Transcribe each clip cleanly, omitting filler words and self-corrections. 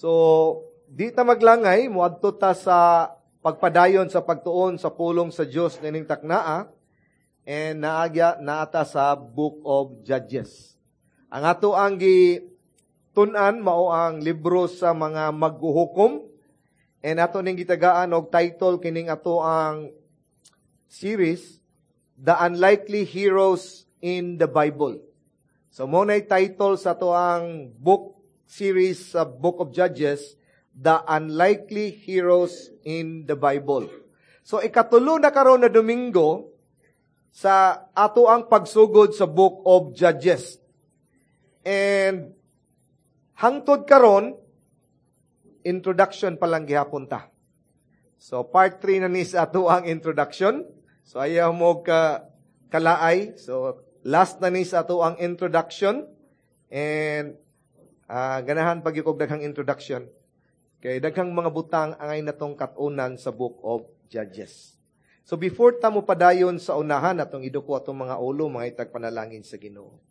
So, di ta maglangay, muadto ta sa pagpadayon sa pagtuon sa pulong sa Dios nining taknaa and naagya naata sa Book of Judges. Ang ato ang gitun-an mao ang libro sa mga maghuhukom and ato ning gitagaan og title kining ato ang series, The Unlikely Heroes in the Bible. So mo nay title sa ato ang book series sa Book of Judges, The Unlikely Heroes in the Bible. So ikatulo na karon na Domingo sa ato ang pagsugod sa Book of Judges. And hangtod karon, introduction pa lang gihapon ta. So part 3 na ni sa ato ang introduction. So ayaw mo ka kalaay. So last na ni sa ato ang introduction. And ganahan pag og daghang introduction. Kay daghang mga butang angay natong katunan sa Book of Judges. So before ta mo padayon sa unahan, atong iduko atong mga ulo, mga itag panalangin sa Ginoo.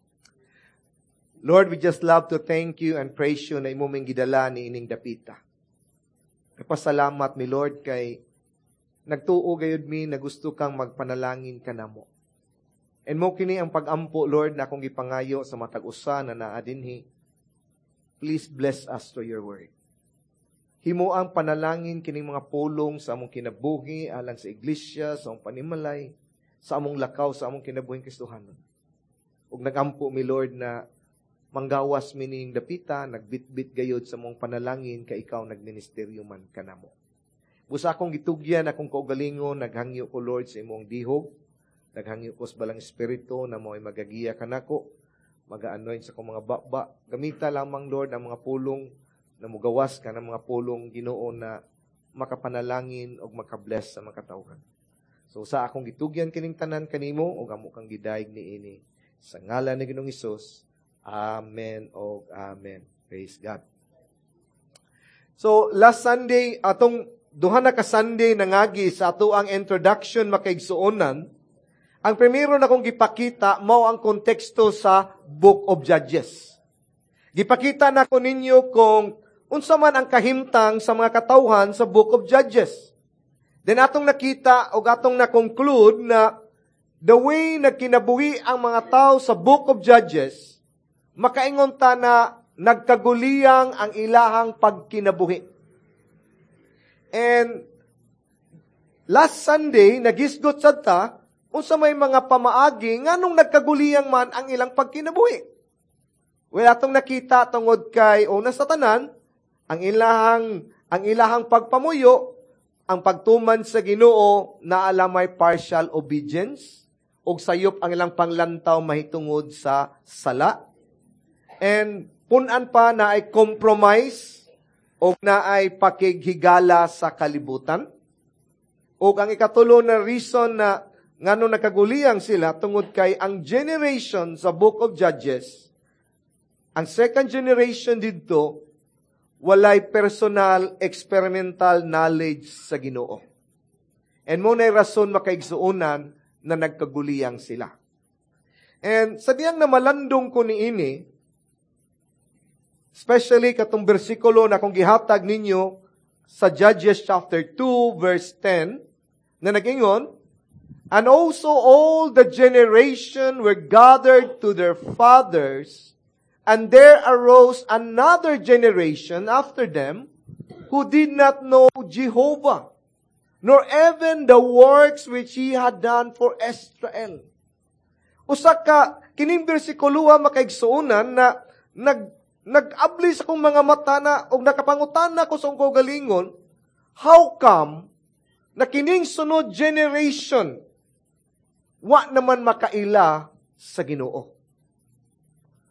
Lord, we just love to thank you and praise you na imo ming gidala ni ining dapita. Nagpasalamat mi, Lord, kay nagtuo gayud mi na gusto kang magpanalangin kanamo. And mo kini ang pag-ampo, Lord, na akong gipangayo sa matag usa na naa dinhi. Please bless us through your word. Himo ang panalangin kining mga pulong sa among kinabuhi alang sa iglesia, sa among panimalay, sa among lakaw, sa among kinabuhing Kristohanon. Ug nagampo mi, Lord, na manggawas mi ning dapita, nagbitbit gayod sa among panalangin kay ikaw nagministeryo man kanamo. Busa akong gitugyan akong kaugalingon, naghangyo ko, Lord, sa imong dihog, naghangyo ko sa Balang Espiritu na mo'y magagiya kanako, maga-anoint sa akong mga baba. Gamita lamang, Lord, ang mga pulong na mugawas ka ng mga pulong, Ginoo, na makapanalangin o makabless sa mga katawhan. So sa akong gitugyan kining tanan kanimo ug amo kang gidayeg niini. Sa ngalan ni Ginoong Hesus. Amen o amen. Praise God. So last Sunday, atong duha na ka Sunday nangagi sa ato ang introduction, makaigsuonan. Ang primero na kong gipakita mao ang konteksto sa Book of Judges. Gipakita na ko ninyo kung unsa man ang kahimtang sa mga katawhan sa Book of Judges. Then atong nakita o atong na-conclude na the way na kinabuhi ang mga tao sa Book of Judges, makaingon ta na nagkaguliyang ang ilahang pagkinabuhi. And last Sunday, nagisgot sad ta unsa may mga pamaagi nganong nagkaguliyang man ang ilang pagkinabuhi. Well, atong nakita tungod kay una sa tanan, ang ilahang pagpamuyo, ang pagtuman sa Ginoo na alamay partial obedience ug sayop ang ilang panglantaw mahitungod sa sala. And punan pa na ay compromise o na ay pakighigala sa kalibutan. O ang ikatulo na reason na ngano nakaguliyang sila, tungod kay ang generation sa Book of Judges, ang second generation didto, walay personal experimental knowledge sa Ginoo. And mo na rason, makaigsuonan, na nagkaguliyang sila. And sa diyang namalandong ko niini, especially katong bersikulo na kung gihatag ninyo sa Judges chapter 2 verse 10, na nagingon, "And also all the generation were gathered to their fathers, and there arose another generation after them who did not know Jehovah, nor even the works which he had done for Israel." Usa ka kining bersikulo, makaigsuonan, na nag-abli sa akong mga mata na og nakapangutana ko sa akong kaugalingon, how come na kining sunod generation wa naman makaila sa Ginoo?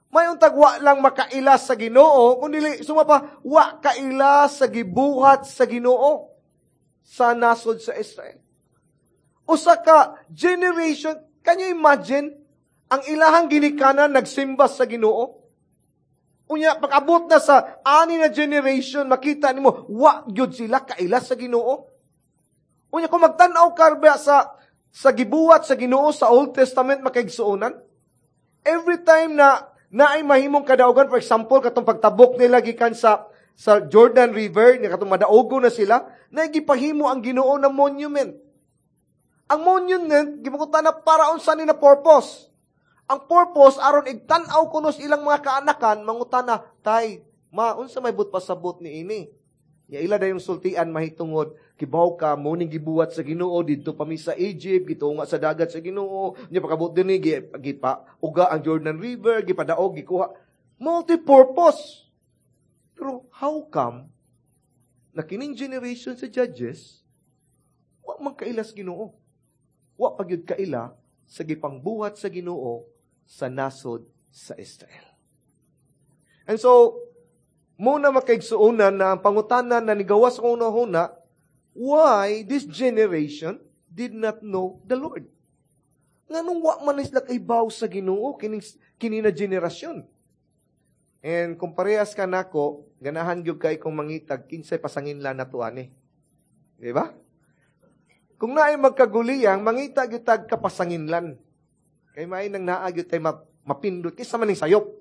May untag wa lang makaila sa Ginoo, kundi suma pa, wa kaila sa gibuhat sa Ginoo sa nasod sa Israel. Usa ka generation, can you imagine, ang ilahang ginikanan nagsimba sa Ginoo? Unya, pag-abot na sa ani na generation, makita nimo wa gyud sila kaila sa Ginoo. Unya, kung magtan-aw ka sa gibuhat sa Ginoo sa Old Testament, makaigsuonan, every time na naay mahimong kadaugan, for example, katong pagtabok nila gikan sa sa Jordan River, nga katong madaogo na sila, na gipahimo ang Ginoo na monument. Ang monument, gipangutana para unsa ni na purpose. Ang purpose, aron igtan-aw kuno sa ilang mga kaanakan, mangutana, "Tay, ma, unsa may but pasabot ni ini?" Ya ila dayong sultian mahitungod, "Kibaw ka, mo ning gibuhat sa Ginoo didto pa mi sa Egypt, gitunga sa dagat sa Ginoo, nya pakabot dinhi gipa uga ang Jordan River, gipadaog, gikuha." Multi-purpose. Pero how come na kining generation sa Judges, wa man kaila sa Ginoo? Wa pa gyud kaila sa gipangbuhat sa Ginoo sa nasod sa Israel. And so, muna makaigsuonan na ang pangutana na nigawas sa una-una, why this generation did not know the Lord? Nganong wa man sila kaibaw sa Ginoo kining kini na generasyon? And kung parehas ka nako, ganahan gyud kay kung mangitag kinsay pasanginlan nato ani. Di ba? Kung naay magkaguliyang, mangita gyud tag kapasanginlan. Kay may nang naa gyud tay mapindot kinsa man ning sayop.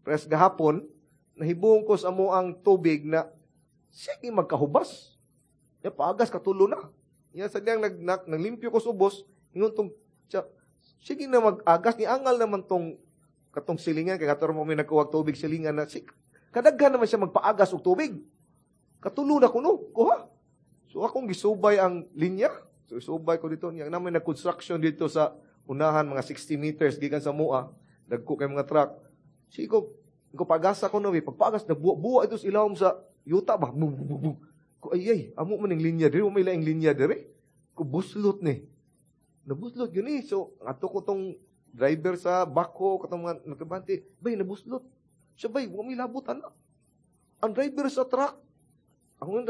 Pres gahapon, nahibuong ko sa amo ang tubig na sige magkahubas. Ya paagas katulo na. Ya sa diyang naglimpyo ko sa ubos, ingon tong sige na mag-agas ni angal naman tong katong silingan kay kato mo may nagkuwag tubig silingan na si kadaghan naman siya magpaagas og tubig. Katulo na kuno, kuha. So akong gisubay ang linya. So isubay ko dito niya naman nag-construction dito sa unahan, mga 60 meters gikan sa mua, dagko kay mga truck. Sige ko pagasa ko no, pagpagas nagbuwa-buwa ito sa ilawom sa yuta ba. Bu, bu, bu. Ko ay ay, amo man ning linya diri, may laing linya diri. Ko buslot ni. Nabuslot yun eh. So ato ko tong driver sa bako katong mga nagkabante, "Bay, nabuslot." Siya, "Bay, wa may labot ana." Ang driver sa truck, ang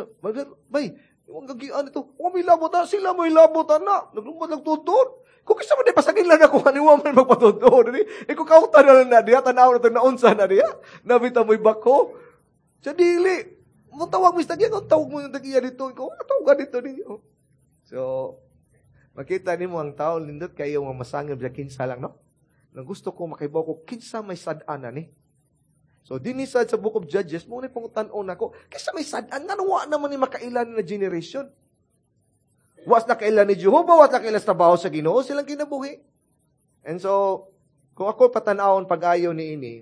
"Bay, wang gagian ito, wa may labot ana, sila may labot ana." Naglumad lang tutod. Kung kisa man di pasagin lang ako, ani wa man magpatutod. Di, eh, kung kautan na lang na diya, tanaw na itong naunsa na diya, nabita mo'y bako. Sa dili, mo tawag mo sa tagiya, kung tawag mo yung tagiya dito, ikaw, tawag dito ninyo. So, makita nimo ang tao, lindot kayo nga masangib sa kinsa lang, no? Nang gusto ko makaibaw ko, kinsa may sad-an na ni. So, dinhi sad sa Book of Judges, mo na pangutan-on ako, kinsa may sad-an, nga wa naman ni makailan na generation. Was na kailan ni Jehovah, was na kailan sa trabaho sa Ginoo, silang kinabuhi. And so, kung ako patan-awon pag-ayo ni ini,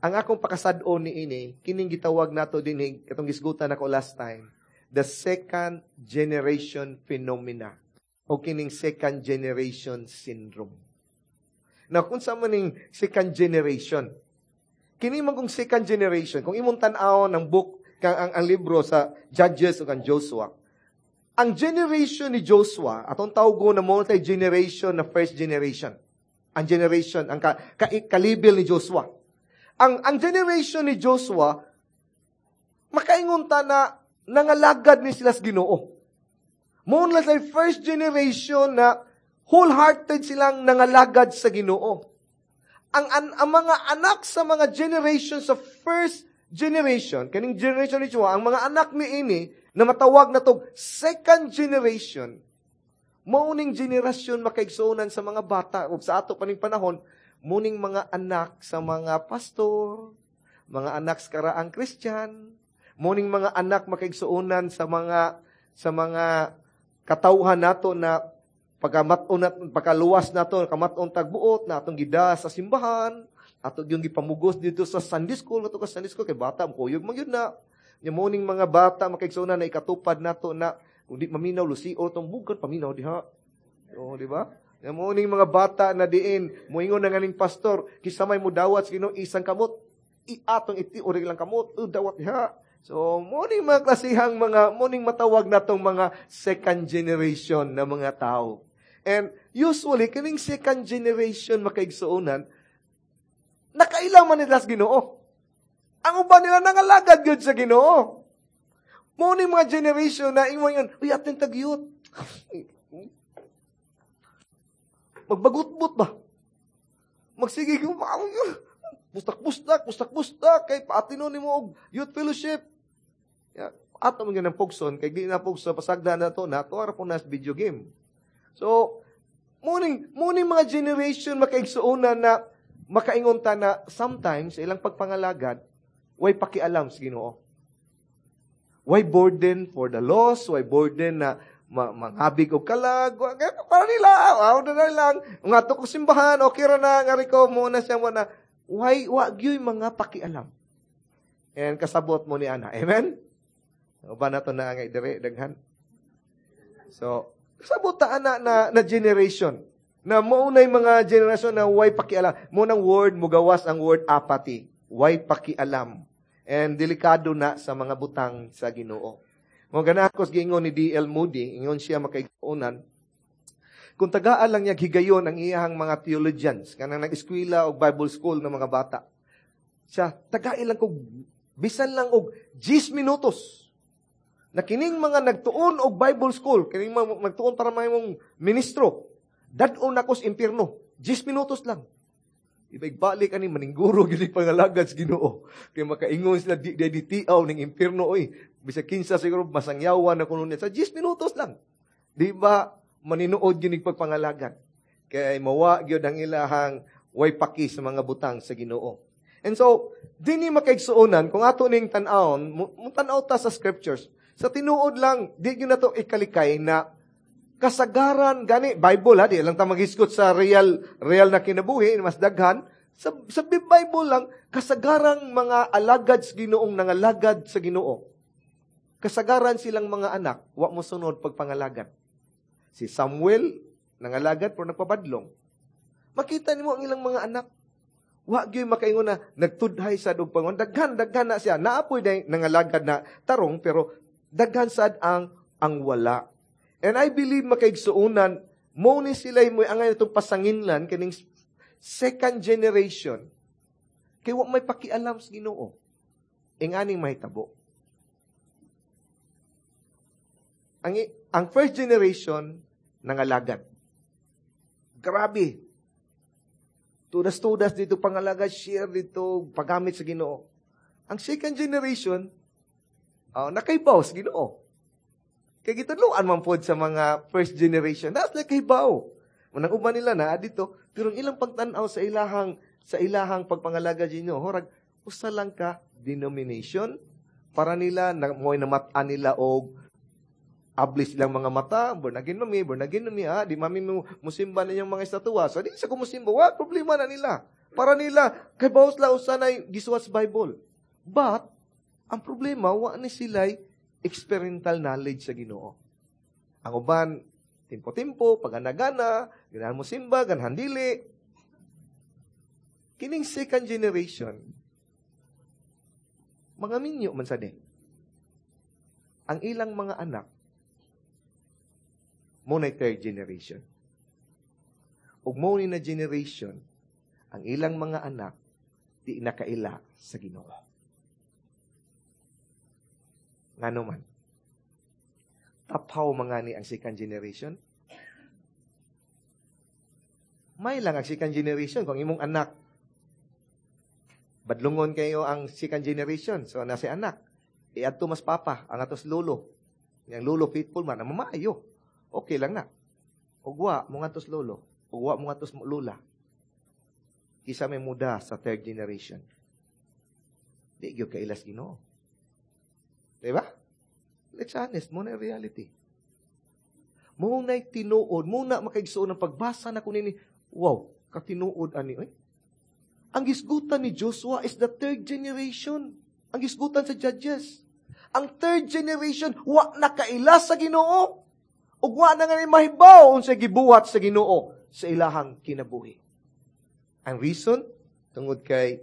ang akong pakasad-on ni ini, kining gitawag nato dinhi, katong gisgutan nako last time, the second generation phenomena, o kining second generation syndrome. Now, kung sa man ning second generation, kini man kung second generation, kung imong tan-awon ang book, kang ang libro sa Judges o kang Joshua, ang generation ni Joshua, atong tawgo na multi-generation na first generation. Ang generation, ang kalibil ni Joshua. Ang generation ni Joshua, makaingon ta na nangalagad ni sila sa Ginoo. Mo na sa first generation na wholehearted silang nangalagad sa Ginoo. Ang mga anak sa mga generation sa first generation, kaning generation ni Joshua, ang mga anak ni ini, na matawag na tog second generation, mauning generasyon makaigsuonan sa mga bata, ug sa ato paning panahon, muning mga anak sa mga pastor, mga anak sa karaang Christian, muning mga anak makaigsuonan sa mga katawhan nato na pagkamat-on nat, pagkaluwas nato, kamat-on tagbuot na atong gida sa simbahan, ato yung gipamugos dito sa Sunday school, ato ka Sunday school kay bata kuyog man gyud na. Nya muning mga bata makaigsuonan na ikatupad nato na kung di maminaw lusi o tong bugan paminaw diha. Oh, di ba? Nya muning mga bata na diin moingon na nganing pastor, kinsa may mudawat sa Ginoo isang kamot, iatong iti ori lang kamot, dawat diha. So, muning mga klasihang mga, muning matawag natong mga second generation na mga tao. And usually, kining second generation makaigsuonan, nakailang man nila sa Ginoo. Ang uban nila nangalagad yun sa Ginoo. Muning mga generation na ingon yun, "Uy, atin tag-youth. Magbagutbot ba? Magsige, pustak-pustak, pustak-pustak, kay paatino ni mo og youth fellowship." Ya, ato man ganang pugson, kay di na pugson, pasagda na to, na to, ara po na video game. So, muning mga generation makaigsuonan na makaingon ta na sometimes ilang pagpangalagad, way pakialam sa Ginoo. Why burden for the lost? Why burden na manghabig og kalag? Para nila, aw na lang. Nga ko simbahan, okay ra na, ngari ko, mo na siya mo na. Why, wa gyud mga pakialam. And kasabot mo ni ana. Amen? Uban na to na nga dire daghan. So, kasabot ta ana na generation. Na mao na mga generasyon na way pakialam. Mo nang word, mugawas ang word apathy. Way pakialam. And delikado na sa mga butang sa Ginoo. Mo gana ako giingon ni D.L. Moody, ingon siya, makaigsuonan, kung tagaan lang niya higayon ang iyahang mga theologians, kanang nag-eskwela o Bible school ng mga bata. Siya, tagai lang kog bisan lang og 10 minutos na kining mga nagtuon og Bible school, kining mga nagtuon para mahimong ministro, dad-on nako sa impierno. 10 minutos lang. Ibig-balik ani maningguro gid pangalagad sa Ginoo. Kay makaingon sila di tiaw ning impierno oy. Bisag kinsa siguro masangyawan na kuno niya. Sa 10 minutos lang. Di ba maninuod gyud pagpangalagad? Kay mawa gyud ang ilahang way paki sa mga butang sa Ginoo. And so, dinhi, makaigsuonan, kung ato ning tan-awon, mo tan-aw ta sa scriptures. Sa tinuod lang, di gyud nato ikalikay na kasagaran gani Bible ha, di lang ta maghisgot sa real real na kinabuhi, mas daghan sa Bible lang. Kasagarang mga alagad sa Ginoong nangalagad sa Ginoo, kasagaran silang mga anak wa mo sunod pagpangalagad. Si Samuel nangalagad pero nagpabadlong. Makita nimo ang ilang mga anak, wa gyud makaingon na nagtudhay sa og pangon. Daghan daghan na siya naapoy day nangalagad na tarong, pero daghan sad ang wala. And I believe, makaigsuonan, mo ni sila mo angay itong pasanginlan kining second generation. Kay wa may pakialam sa Ginoo. Inganing mahitabo. Ang first generation nangalagad. Grabe. Tudas-tudas dito pangalagad, share dito, paggamit sa Ginoo. Ang second generation, nakaibaw sa Ginoo. Kay gitudloan man pod sa mga first generation. That's like kaybaw. Manang uban nila na dito, pero ang ilang pagtan-aw sa ilahang pagpangalaga Ginoo, horag usa lang ka denomination para nila na mo'y namat-an nila og ablis silang mga mata, born again mami, born again mami, ha, di mami mo musimba ninyong mga estatua. So, di sa kumusimba, wa, problema na nila. Para nila, kay bawas la usa na gisuwat sa Bible. But, ang problema, wa ni sila'y experiential knowledge sa Ginoo. Ang uban, timpo-timpo, paganagana, ganahan mo simba, ganahan dili. Kining second generation, mga minyo man sa di. Ang ilang mga anak, mo na third generation. Ug mo ni na generation, ang ilang mga anak, di nakaila sa Ginoo. Ngano man? Tapaw mga ni ang second generation. May lang ang second generation kung imong anak badlungon kayo ang second generation. So, nasa anak. Iadto mas papa, ang atos lolo. Yang lolo faithful man, ang mamaayo. Okay lang na. Ugwa mo atos lolo. Ugwa mo atos lula. Kisa may muda sa third generation. Di gyud kailas Ginoo. Diba? Let's honest, mo na reality. Mo na tinuod, mo na makaigsuon ng pagbasa na kunini, wow, katinuod ani oy. Ang gisgutan ni Joshua is the third generation. Ang gisgutan sa Judges. Ang third generation, wa na kaila sa Ginoo. Ug wa na nga ni mahibaw unsay gibuhat sa Ginoo sa ilahang kinabuhi. Ang reason, tungod kay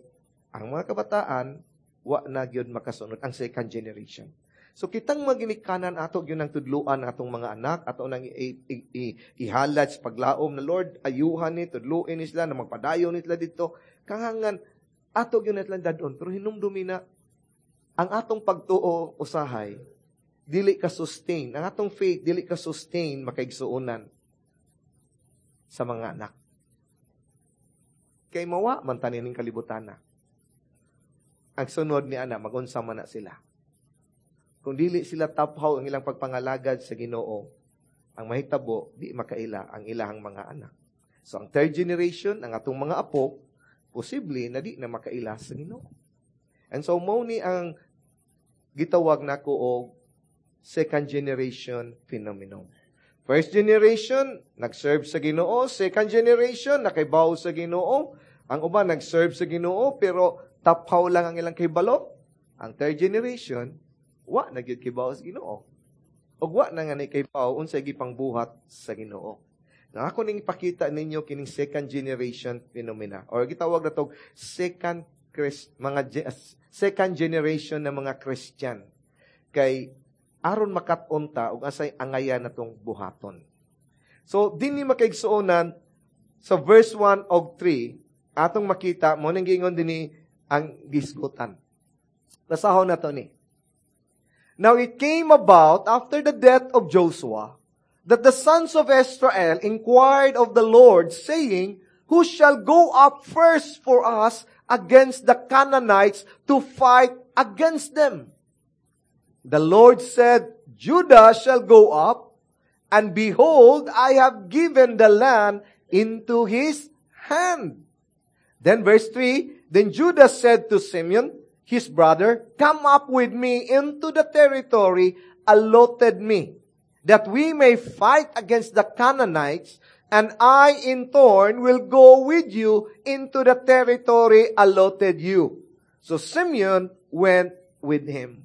ang mga kabataan wa na gyud makasunod, ang second generation. So kitang maginikanan, ato gyud ang tudluan atong mga anak, ato nang ihalad sa paglaom na, "Lord, ayuhan ni, tudluin ni sila na magpadayon ni sila dito." Kangangan ato gyud natlan dadon, pero hinumdumi na ang atong pagtuo usahay dili ka sustain, ang atong faith dili ka sustain, makaigsuonan, sa mga anak. Kay mawa man tanin kalibutan na. Ang sunod ni ana, magunsa man na sila. Kung dili sila taphaw ang ilang pagpangalagad sa Ginoo, ang mahitabo, di makaila ang ilahang mga anak. So ang third generation, ang atong mga apo, posible na di na makaila sa Ginoo. And so mo ni ang Gitawag nako og second generation phenomenon. First generation, nag-serve sa Ginoo. Second generation, nakaibaw sa Ginoo. Ang uban nag-serve sa Ginoo pero tapaw lang ang ilang kahibalo. Ang third generation, wa na gyud kibaw sa Ginoo. Ug wa na nga ni kibaw unsay gipangbuhat sa Ginoo. Na ako ning ipakita ninyo kining second generation phenomena or gitawag na tog second Christ, mga second generation na mga Christian. Kay aron makat-on ta ug asay angayan natong buhaton. So dinhi, makaigsuonan, sa verse 1 og 3 atong makita mo ning giingon dinhi ang gisgutan. Basahon nato ni. Now it came about after the death of Joshua that the sons of Israel inquired of the Lord, saying, "Who shall go up first for us against the Canaanites to fight against them?" The Lord said, "Judah shall go up, and behold, I have given the land into his hand." Then verse 3, then Judah said to Simeon, his brother, "Come up with me into the territory allotted me, that we may fight against the Canaanites, and I in turn will go with you into the territory allotted you." So Simeon went with him.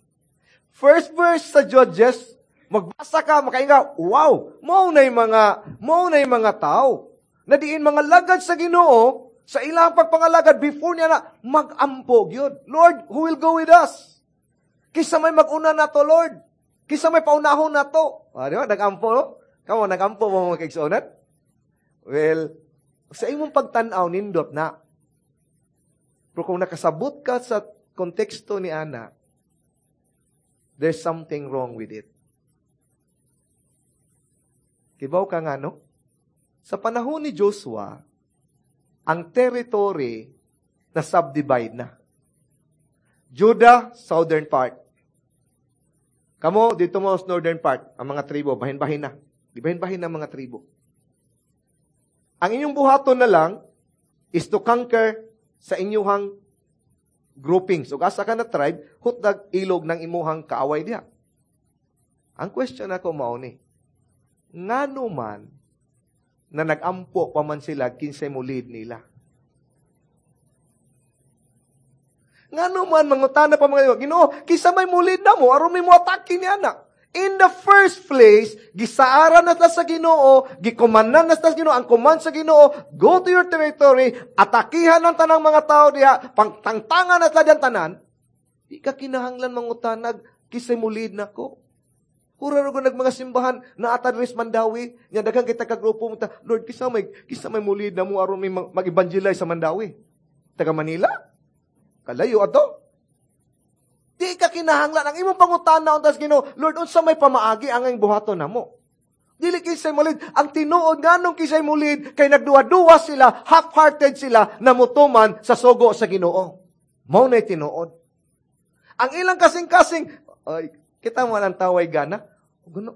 First verse sa Judges, magbasa ka, makainga, wow, mao na mga tao na diin mga lagad sa Ginoo, sa ilang pagpangalagad, before niya na, mag-ampo gyud. "Lord, who will go with us? Kisa may mag-una na to, Lord? Kisa may paunahon na to?" Ah, di ba? Nag-ampo, no? Kamo, nag-ampo mo, mga kaigsuonan? Well, sa imong pagtan-aw, nindot na. Pero kung nakasabot ka sa konteksto ni ana, there's something wrong with it. Kibaw ka nga, no? Sa panahon ni Joshua, ang territory na subdivide na. Judah, southern part. Kamo, dito mo sa northern part, ang mga tribo, bahin-bahin na. Di bahin-bahin na mga tribo. Ang inyong buhaton na lang is to conquer sa inyuhang groupings. O asa ka na tribe, hutdag ilog ng imuhang kaaway diha. Ang question ako mao ni, ngano man na nag-ampo pa man sila kinsay mo lead nila? Ngano man mangutana pa mga Ginoo, kinsa may mo lead namo aron may moatake ni ana? In the first place, gisaaran na ta sa Ginoo, gikomandan na ta sa Ginoo, ang command sa Ginoo, go to your territory, atakihan ang tanang mga tao diha, pangtangtangan na ta diyan tanan. Di ka kinahanglan mangutanag kisay mo lead nako. Pura ra nag mga simbahan na ata diri sa Mandaue, nya daghan kita ka grupo mo ta, "Lord, kisa may mulid na mo aron may mag-evangelize sa Mandaue?" Taga Manila? Kalayo ato. Di ka kinahanglan ang imong pangutana unta sa Ginoo, "Lord, unsa may pamaagi ang imong buhaton namo?" Dili kinsay mulid. Ang tinuod, nganong kinsay mulid, kay nagduwa-duwa sila, half-hearted sila na mutuman sa sugo sa Ginoo. Mao na tinuod. Ang ilang kasing-kasing, ay, kita mo ang taway gana. Gana,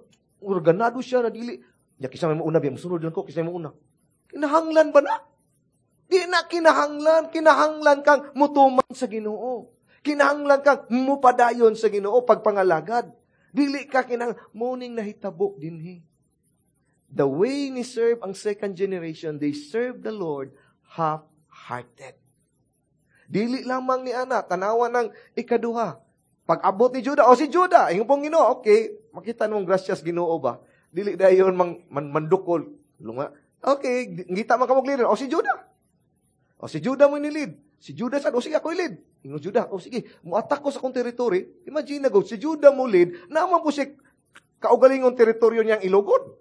ganado siya na dili. Ya, kisa may mauna, biya, musunod lang ko, kisa may mauna. Kinahanglan ba na? Di na kinahanglan. Kinahanglan kang mutuman sa Ginoo. Kinahanglan kang mupadayon sa Ginoo pagpangalagad. Dili ka kinahang morning nahitabo dinhi. The way ni serve ang second generation, they serve the Lord half-hearted. Dili lamang ni ana, tanawa ng ikaduha. Pag-abot ni Judah, o si Judah, ingon pong Ginoo, okay, makita namong grasyas Ginoo ba? Dili dayon mang mandukol. Lunga. Okay, ngita man kamog leader, o si Judah. O si Judah mo ni-lead. Si Judah sad, o sige ako i-lead. Ingon Judah, o sige, muatak ko sa akong territory. Imagine na go, si Judah mo lead, naman po siya kaugalingon teritoryo niyang ilogon.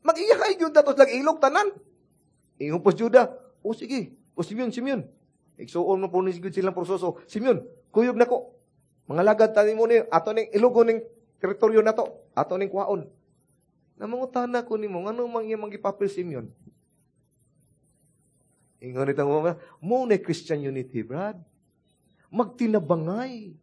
Mag-iyahay gyud datos lang ilog tanan. Ingon po si Judah, o sige, o Simeon, Simeon. Igsuon mo po ni silang proseso. Simeon, kuyog na ko. Mga lagad tani mo ni ato ning ilogon ning teritoryo na to, ato ning kuhaon. Namangutana ko nimo ngano mang iyang gipapil Simeon? Ingon nitong mga, mo na Christian unity, Brad. Magtinabangay.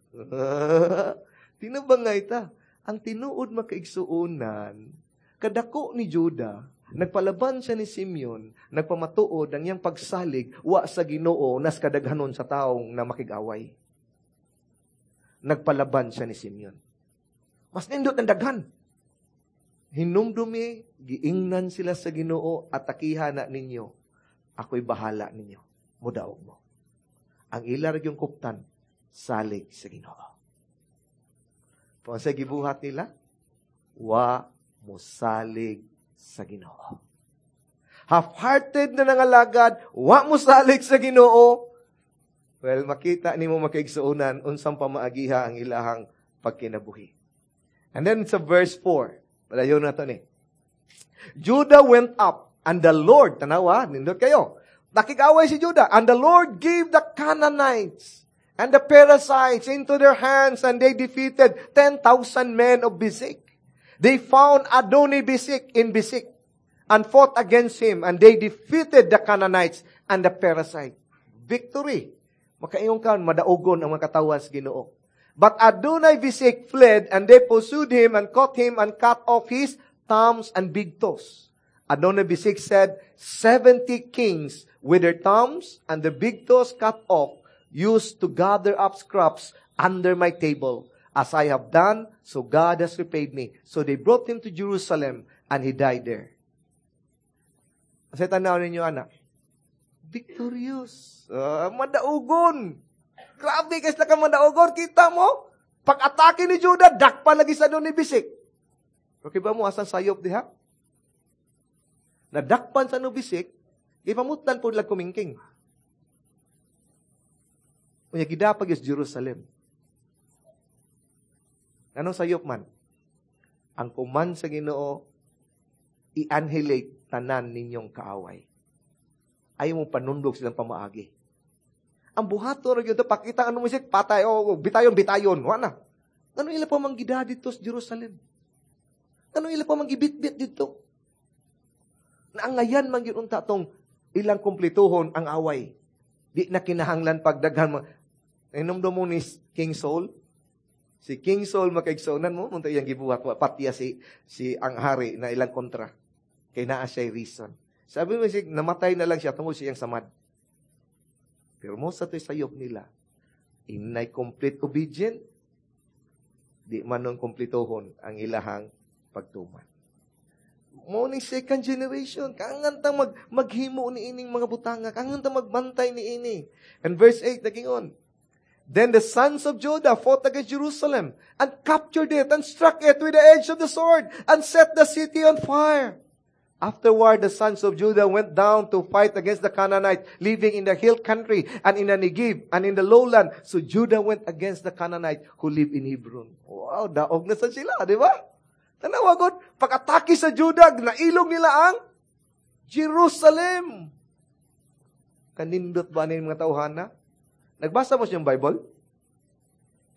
Tinabangay ta. Ang tinuod, makaigsuonan, kadako ni Judah, nagpalaban siya ni Simeon, nagpamatuod ang iyang pagsalig wa sa Ginoo nas kadaghanon sa taong na makig-away. Nagpalaban siya ni Simeon. Mas nindot ng daghan. Hinumdumi, giingnan sila sa Ginoo, atakiha na ninyo. Ako'y bahala ninyo. Mudaog mo. Ang ila yung kuptan, salig sa Ginoo. Kung sa gibuhat nila, wa musalig sa Ginoo. Half-hearted na nangalagad, wa musalig sa Ginoo. Well, makita nimo, makaigsuonan, unsang pamaagiha ang ilahang pagkinabuhi. And then sa verse 4, palayo na to ni. Judah went up, and the Lord, tanawa, nindot kayo. Nakig-away si Judah, and the Lord gave the Canaanites and the Perizzites into their hands, and they defeated 10,000 men of Bezek. They found Adoni Bezek in Bezek and fought against him, and they defeated the Canaanites and the Perizzites. Victory. Makaingon ka, madaugon ang mga katawan sa Ginoo. But Adonai Bezek fled, and they pursued him and caught him and cut off his thumbs and big toes. Adonai Bezek said, 70 kings with their thumbs and the big toes cut off used to gather up scraps under my table. As I have done, so God has repaid me. So they brought him to Jerusalem, and he died there. Sa tanaw ninyo, anak, victorious. Madaugon. Grabe kasi ka madaugon. Kita mo? Pag-atake ni Judah, dakpa lagi sa ni Bezek. Okay ba mo, asan sayop diha? Nadakpan sa no Bezek, gipamutlan po nila kumingking. Unya gidapag is Jerusalem. Anong sayop man? Ang kuman sa Ginoo, i-annihilate tanan ninyong kaaway. Ayaw mo panundog silang pamaagi. Ang buhato ra gyud pakita ano mo patay o bitayon bitayon, wa na. Ano ila pa manggida dito sa Jerusalem? Ano ila pa manggibitbit dito? Naangayan man gyud unta tong ilang kumplituhon ang away. Di na kinahanglan pagdaghan. Inom mo ni King Saul? Si King Saul makaigsuonan mo, munta iyang gibuhat, patiya si ang hari na ilang kontra. Kay naa siya reason. Sabi mo si namatay na lang siya tungod siyang samad. Pero mo sa to'y sayop nila, inay complete obedient, di man nung kumplituhon ang ilahang pagtuman. Mo ni second generation, kangan tang maghimo ni ining mga butanga, kangan tang magbantay ni ini. And verse 8, nagingon, Then the sons of Judah fought against Jerusalem and captured it and struck it with the edge of the sword and set the city on fire. Afterward, the sons of Judah went down to fight against the Canaanites living in the hill country and in the Negev and in the lowland. So Judah went against the Canaanites who live in Hebron. Wow, daog na sa sila, di ba? Tanawa god, pag-atake sa Judah, nailog nila ang Jerusalem. Kanindot ba ni mga tawhana? Nagbasa mo siyang Bible?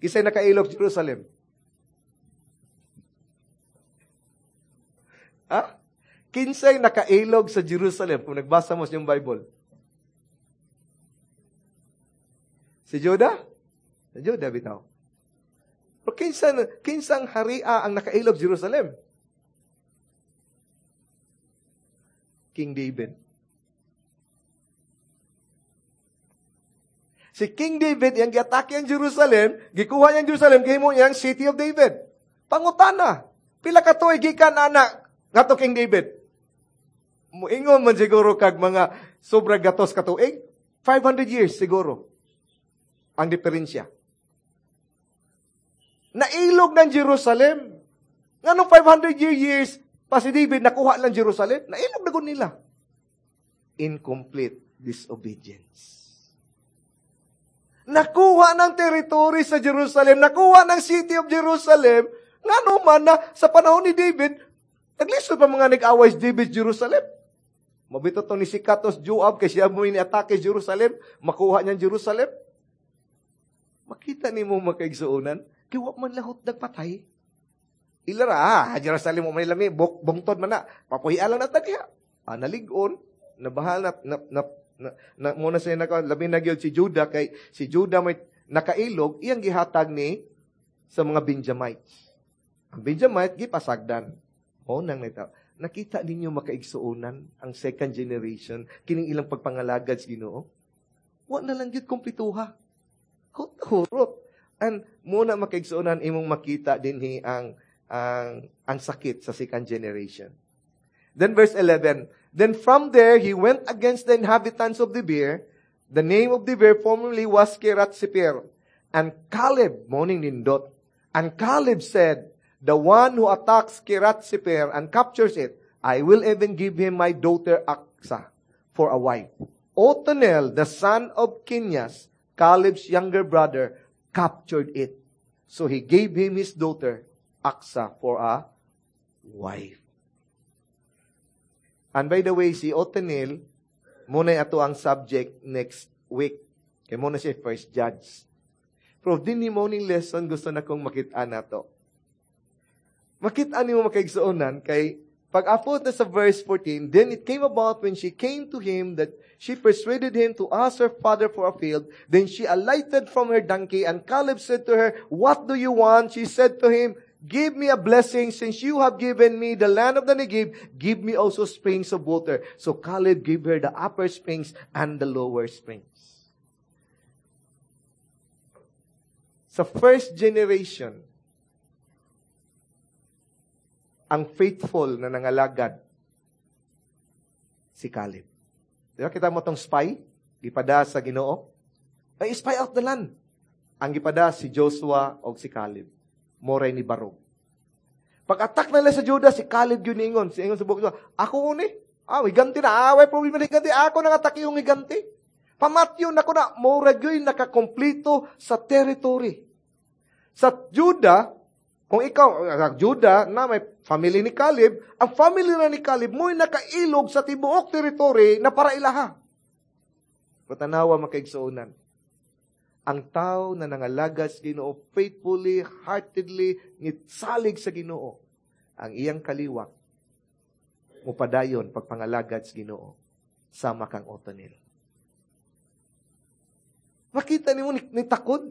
Kisay nakailog Jerusalem. Ha? Kinsay nakailog sa Jerusalem kung nagbasa mo siyang Bible? Si Judah? Si Judah bitaw. Pero kinsang haria ang nakailog Jerusalem? King David. Si King David, yang giatake ang Jerusalem, gikuha niyang Jerusalem, gihimo niyang City of David. Pangutana, pila ka tuig gikan ana ngadto King David? Muingon man siguro kag mga sobra gatos ka tuig, 500 years siguro ang diferensya. Nailog ng Jerusalem. Nganong 500 years pa si David nakuha lang Jerusalem? Nailog na gud nila. Incomplete disobedience. Nakuha ng territory sa Jerusalem, nakuha ng city of Jerusalem, ngano man na sa panahon ni David, naglisod pa mga nag-away si David Jerusalem. Mabito to ni si Katos Joab, kay siya mo ini-atake Jerusalem, makuha niyang Jerusalem. Makita nimo makaigsuonan, kay wa man lahot nagpatay. Ilara, Jerusalem mo may lami, bungtod man na, papuhian lang na tagya. Naligon, nabahal na muna siya naka, labi na gyud si Judah, kay si Judah may nakailog, iyang gihatag ni sa mga Benjamites. Ang Benjamite, gipasagdan. O nang nita. Nakita ninyo makaigsuonan ang second generation, kining ilang pagpangalagad sa Ginoo? Wa na lang gyud kumplituha. Hurot. And muna makaigsuonan imong makita dinhi ang sakit sa second generation. Then verse 11, "Then from there he went against the inhabitants of Debir. The name of Debir formerly was Kiriath Sepher. And Caleb," morning nindot, "and Caleb said, 'The one who attacks Kiriath Sepher and captures it, I will even give him my daughter Achsah for a wife.' Othniel, the son of Kenaz, Caleb's younger brother, captured it. So he gave him his daughter Achsah for a wife.'" And by the way, si Othniel, muna ato ang subject next week. Kay muna siya first judge. Pero dinhi morning lesson, gusto na kong makita nato. Makita nimo, makaigsuonan, kay pag-apot na sa verse 14, "Then it came about when she came to him that she persuaded him to ask her father for a field. Then she alighted from her donkey, and Caleb said to her, 'What do you want?' She said to him, 'Give me a blessing. Since you have given me the land of the Negev, give me also springs of water.' So Caleb gave her the upper springs and the lower springs." Sa first generation, ang faithful na nangalagad, si Caleb. Di ba kita mo tong spy? Gipada sa Ginoo. Ay, spy out the land. Ang gipada si Joshua o si Caleb. Moray ni Barog. Pag-attack nila sa Judah, si Caleb yun ingon. Si ingon sa bukid, "Ako uni. Ah, higanti na. Ah, way problema na higanti. Ako nang atake yung higanti. Pamatyon ako na." Murag yun nakakomplito sa territory. Sa Judah, kung ikaw, Judah, na may family ni Caleb, ang family na ni Caleb, mo'y nakailog sa tibuok territory na para ilaha. Patanawa, makaigsuonan. Ang tao na nangalagad sa Ginoo faithfully, heartedly, ngitsalig sa Ginoo, ang iyang kaliwat mupadayon pagpangalagad sa Ginoo sama kang Othniel. Makita nimo ni takod.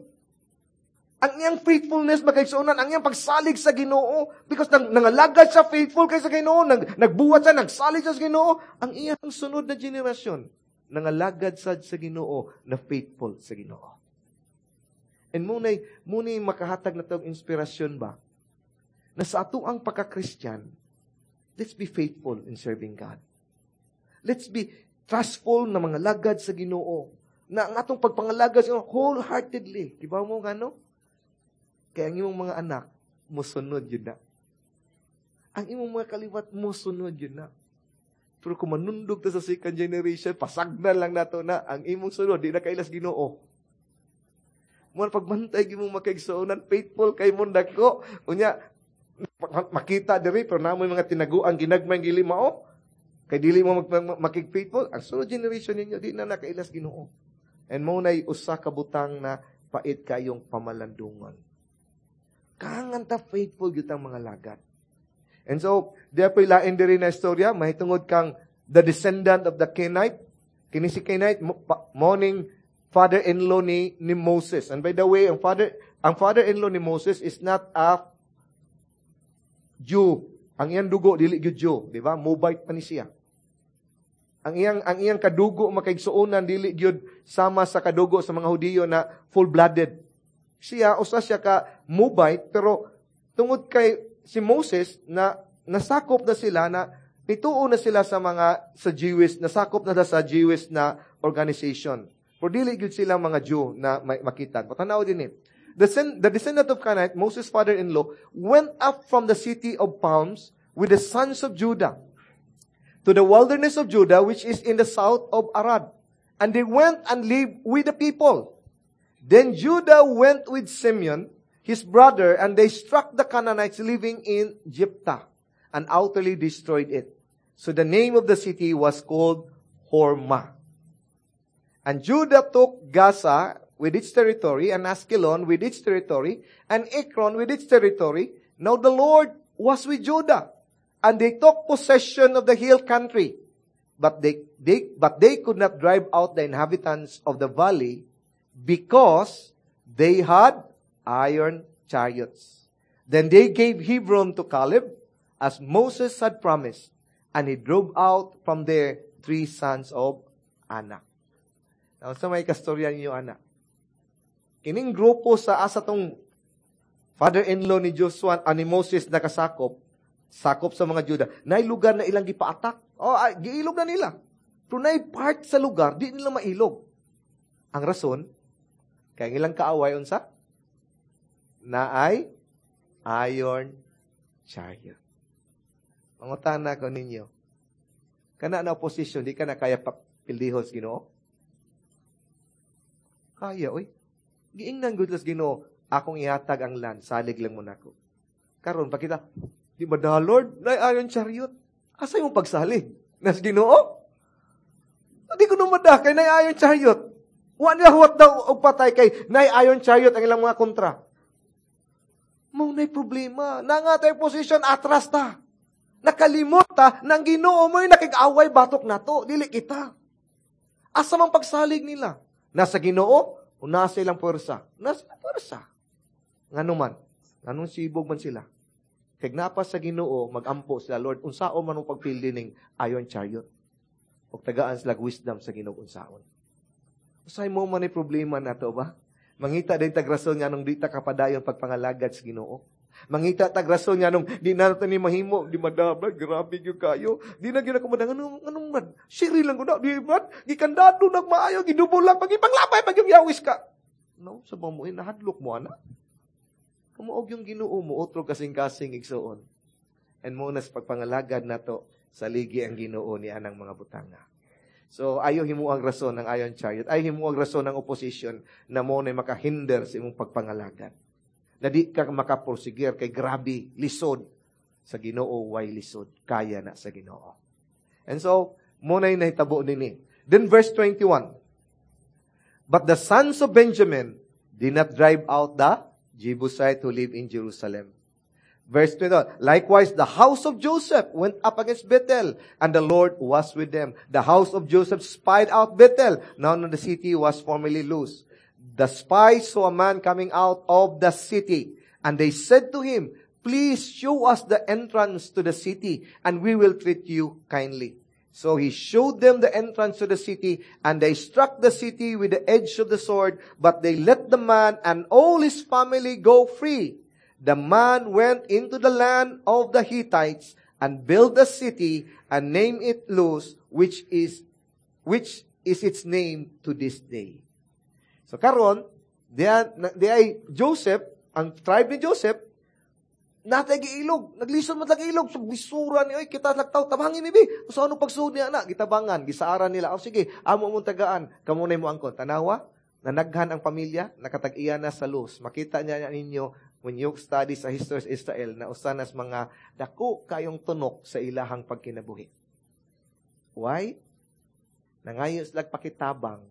Ang iyang faithfulness, makaigsuonan, ang iyang pagsalig sa Ginoo, because nangalagad siya faithful kay sa Ginoo, nagbuhat siya, nagsalig siya sa Ginoo, ang iyang sunod na generasyon, nangalagad sad sa Ginoo na faithful sa Ginoo. And munay makahatag na tong inspirasyon ba? Na sa ato ang pagka-Christian, let's be faithful in serving God. Let's be trustful na mga lagad sa Ginoo. Na ang atong pagpangalagad sa Ginoo wholeheartedly. Di ba mo ngano? Kaya ang imong mga anak, musunod yun na. Ang imong mga kaliwat, musunod yun na. Pero kung manundog ta sa second generation, pasagdan lang nato na ang imong sunod, di na kailas Ginoo. Mo pagbantay imong makaigsuonan, faithful kay mo dako. Unya makita diri pero namoy mga tinaguan ginagmay gili mao. Kay dili mo makig-faithful, ang sunod generation ninyo di na nakailas Ginoo. And mo nay usa ka butang na pait kayong pamalandungan. Kangan ta faithful gyud ang mga lagad. And so, di pa lain diri na istorya, mahitungod kang the descendant of the Kenite. Kini si Kenite, morning father-in-law ni Moses. And by the way, ang father-in-law ni Moses is not a Jew. Ang iyang dugo dili gyud Jew, di ba? Moabite pa ni siya. Ang iyang kadugo, makaigsuonan, dili gyud sama sa kadugo sa mga Hudiyo na full-blooded. Siya usa siya ka Moabite, pero tungod kay si Moses na nasakop na sila na nituo na sila sa mga sa Jewish, nasakop na sa Jewish na organization. Pero dili gyud sila mga Jew na makita. Patanaw din eh. "The descendant of Kenite, Moses' father-in-law, went up from the city of palms with the sons of Judah to the wilderness of Judah, which is in the south of Arad. And they went and lived with the people. Then Judah went with Simeon, his brother, and they struck the Canaanites living in Zephath and utterly destroyed it. So the name of the city was called Hormah. And Judah took Gaza with its territory, and Ashkelon with its territory, and Ekron with its territory. Now the Lord was with Judah, and they took possession of the hill country. But they could not drive out the inhabitants of the valley because they had iron chariots. Then they gave Hebron to Caleb, as Moses had promised, and he drove out from there three sons of Anak." Now, sa may kastorya ninyo, anak? Kining grupo sa asa tong father-in-law ni Joshua, ani Moses nakasakop, sakop sa mga Juda, naay lugar na ilang gipa-attack. Oh, ay, giilog na nila. Pero naay part sa lugar, di nila mailog. Ang rason, kay ang ilang kaaway unsa? Naay iron chariot. Mangutana ko ninyo, kana na opposition, di ka na kaya pildihon sa Ginoo? Kaya, oy. Giingnan gud sa Ginoo, akong ihatag ang land, salig lang mo nako. Karon pakita, di ba da Lord, naay iron chariot? Asa imong pagsalig? Nas Ginoo? Di ko numada kay naay iron chariot. Wa nila huwat daw og patay kay naay iron chariot ang ilang mga kontra. Mao nay problema. Na nga tayo position, atras ta. Nakalimot ta, nang Ginoo mo'y nakig-away batok nato, dili kita. Asa man pagsalig nila? Nasa Ginoo o nasa ilang puwersa? Nasa ilang puwersa. Ngano man? Nganong sibog man sila? Kay napa sa Ginoo, magampo sila, Lord, unsaon man ang pagpildi ning iron chariot? Og tagaan sila wisdom sa Ginoo unsaon. Usay mo man ay problema nato ba? Mangita din tag rason nga nung di ta kapadayon pagpangalagad sa Ginoo. Mangita tag rason nga nung di na nato ni mahimo, di madabla, grabe gyud kayo. Di na gyud ako madang anong anong man. Siri lang ko na, di ba? Gikandado nagmaayo, gidubol lang pag ipanglabay pag yung yawis ka. No, sa mo nahadlok mo ana. Kumuog yung Ginoo mo otro kasing-kasing igsuon. And mo nas pagpangalagad nato sa ligi ang Ginoo ni anang mga butanga. So, ayo himo ang rason ng iron chariot. Ayo himo ang rason ng opposition na mo na makahinder sa imong pagpangalagad. Na di ka makaprosigir kay grabe, lisod. Sa Ginoo, way lisod. Kaya na sa Ginoo. And so, mo na nahitabo nini. Then verse 21. But the sons of Benjamin did not drive out the Jebusite who live in Jerusalem. Verse 21, likewise, the house of Joseph went up against Bethel, and the Lord was with them. The house of Joseph spied out Bethel. Now the city was formerly Luz. The spies saw a man coming out of the city, and they said to him, "Please show us the entrance to the city, and we will treat you kindly." So he showed them the entrance to the city, and they struck the city with the edge of the sword, but they let the man and all his family go free. The man went into the land of the Hittites and built a city and named it Luz, which is its name to this day. So karon, di ay Joseph, ang tribe ni Joseph, natay giilog, naglisod man lang ilog, so bisura ni oy kita lagtaw, tabangin ni bi. So ano pagsuod niya na, gitabangan, gisaaran nila. O sige, amo mong tagaan, kamo na mo angkon. Tanawa, nanaghan ang pamilya, nakatag-iya na sa Luz. Makita niya ninyo when you study sa history of Israel na usa nas mga dako kayong tunok sa ilahang pagkinabuhi. Why? Nangayo sila pakitabang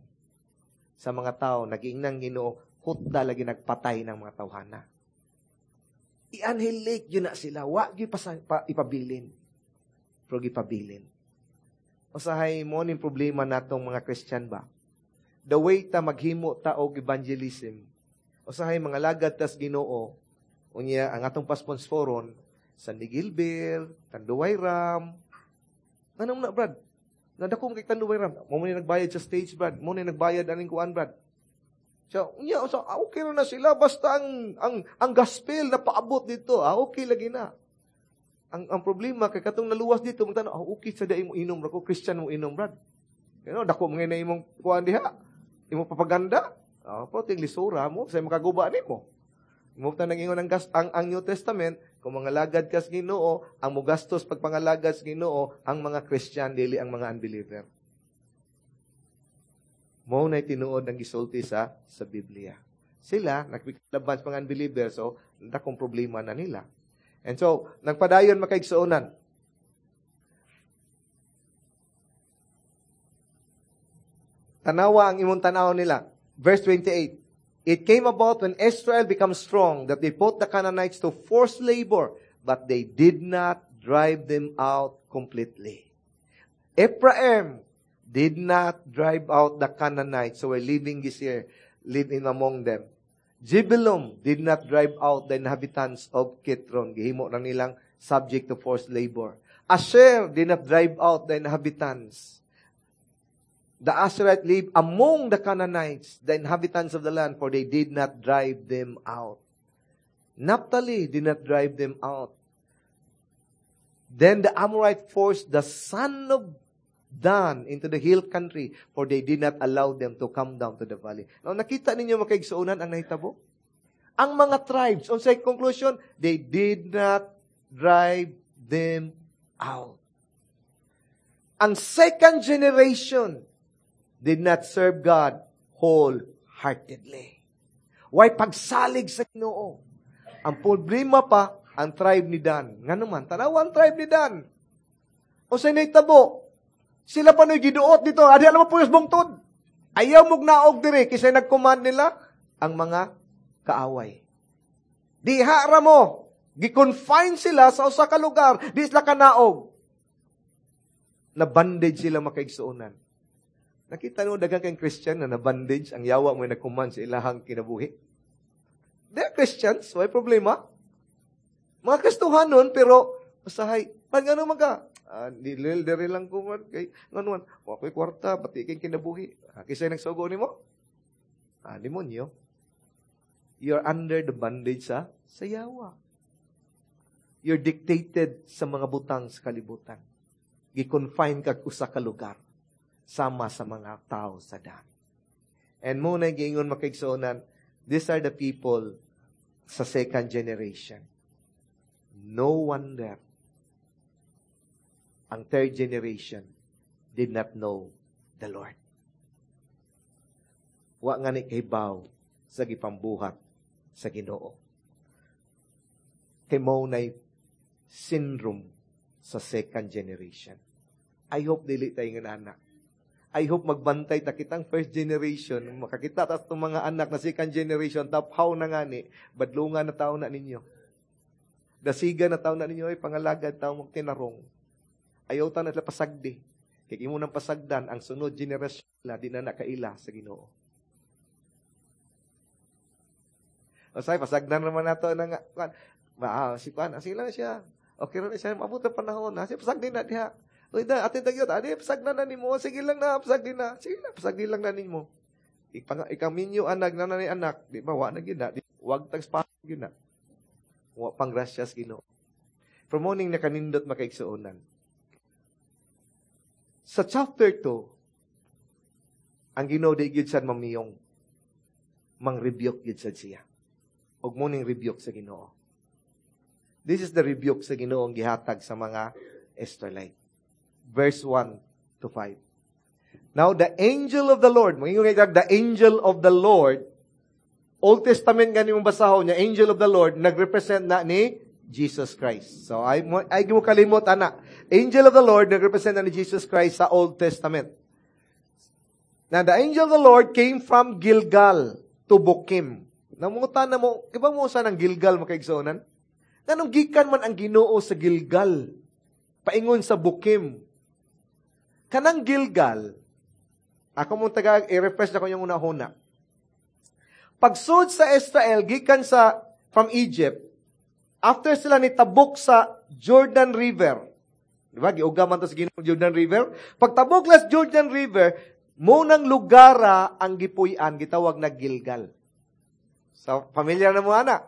sa mga tao, naging Ginoo, hutda lagi nagpatay ng mga tawhana. I-annihilate yun na sila. Wa gyud pa, ipabilin. Pero gipabilin. Usahay mo ning problema natong mga Christian ba? The way ta maghimo ta og evangelism. Usahay mga lagad tas Ginoo. Unya ang atong pasponsoron San Miguel Beer, Tanduay Rum. Anong na, Brad? Nadako kay Tanduay Rum. Mo ni nagbayad sa stage, Brad. Mo ni nagbayad aning kuan, Brad. So, unya, so, okay na sila basta ang gospel na paabot dito. Ah, okay lagi na. Ang problema kay katong naluwas dito magtanaw, ah, okay sa dai mo inom ra ko, Christian mo inom, Brad. Dako mga na imong kuan diha. Imong propaganda. Ah, pero ting lisura mo sa makaguba nimo. Mo ta nag-ingon ang New Testament, kung mga lagad kas Ginoo, ang mugastos pagpangalagad sa Ginoo, ang mga Christian dili ang mga unbeliever. Mo na tinuod ang gisulti sa Biblia. Sila nagpiklaban sa mga unbeliever, so dakong problema na nila. And so, nagpadayon, makaigsuonan. Tanawa ang imong tanaw nila. Verse 28. It came about when Israel became strong that they put the Canaanites to forced labor, but they did not drive them out completely. Ephraim did not drive out the Canaanites who were living this year, living among them. Zebulun did not drive out the inhabitants of Kitron. Gihimo na nilang subject to forced labor. Asher did not drive out the inhabitants. The Asherite lived among the Canaanites, the inhabitants of the land, for they did not drive them out. Naphtali did not drive them out. Then the Amorite forced the son of Dan into the hill country, for they did not allow them to come down to the valley. Now, nakita ninyo, mga kaigsuonan, ang nahitabo? Ang mga tribes, unsay conclusion, they did not drive them out. Ang second generation did not serve God wholeheartedly. Way pagsalig sa Ginoo? Ang problema pa, ang tribe ni Dan. Nga naman, tanawa ang tribe ni Dan. Unsay nahitabo? Sila pa no'y giduot dito. Adi alam mo po yung bungtod. Ayaw mog naog dire kisay nag-command nila ang mga kaaway. Diha ra mo. Gi-confine sila sa usa ka lugar. Di sila kanaog. Na bandage sila, makaigsuonan. Nakita mo daghan kay Christian na na-bandage ang yawa mo nag-command sa ilahang kinabuhi. They're Christians, way problema. Mga Kristohanon, pero usahay, pan ngano man ka? Ah, dili diri lang ko man kay ngano man, wa ko'y kwarta, pati kay kinabuhi. Ah, kisay nagsugo nimo? Ah, demonyo. You're under the bondage sa yawa. You're dictated sa mga butang sa kalibutan. Gi-confine ka usa ka lugar sama sa mga tao sa Dan. And mao na giingon, makaigsuonan, these are the people sa second generation. No wonder ang third generation did not know the Lord. Wa nga ni kahibaw sa gipambuhat sa Ginoo. Kay mao nay syndrome sa second generation. I hope dili tayo nga anak. I hope magbantay ta kitang first generation, makakita ta itong mga anak na second generation, taphaw na ngani, badlungan na tao na ninyo. Dasiga na tao na ninyo, ay pangalagad tao magtinarong. Ayaw ta na pasagdi. Kay imo nang pasagdan, ang sunod generasyon nila, di na nakaila sa Ginoo. O say, pasagdan naman nato na nga, ba, si Kwan, sige lang siya. Okay ra na siya, maabot ang panahon. Ha? Siya, pasagdi na diha. Uy, da, atin tagyot, adi, pasagdan na nimo. Sige lang na, pasagdi na. Sige lang, pasagdi lang na nimo. Ikaminyo anak, na ni anak, di ba, wa na gid na. Wag tag gid na. Wa pang grasyas Ginoo. From morning na kanindot, makaigsuonan. Sa chapter 2, ang Ginoo di gyud sad mamiyong. Mang-rebuke gyud sad siya. Og morning rebuke sa Ginoo. This is the rebuke sa Ginoo ang gihatag sa mga Israelite. Verse 1 to 5. Now, the angel of the Lord, mangingon kay the angel of the Lord, Old Testament gani mong basahon niya, angel of the Lord, nagrepresent na ni Jesus Christ. So, ay mo kalimot, ana. Angel of the Lord, nagrepresent na ni Jesus Christ sa Old Testament. Now, the angel of the Lord came from Gilgal to Bokim. Namungutan na mo, kiba mo sa ng Gilgal, makaigsonan? Nganong gikan man ang Ginoo sa Gilgal, paingon sa Bokim? Kanang Gilgal, ako mong taga, i-refresh na ko yung una-huna. Pagsud sa Israel, gikan sa, from Egypt, after sila ni tabok sa Jordan River, di ba? Giuga man to sa Ginoo Jordan River. Pagtabok las Jordan River, mo nang lugara ang gipuy-an, gitawag na Gilgal. So, familiar na mo, ana.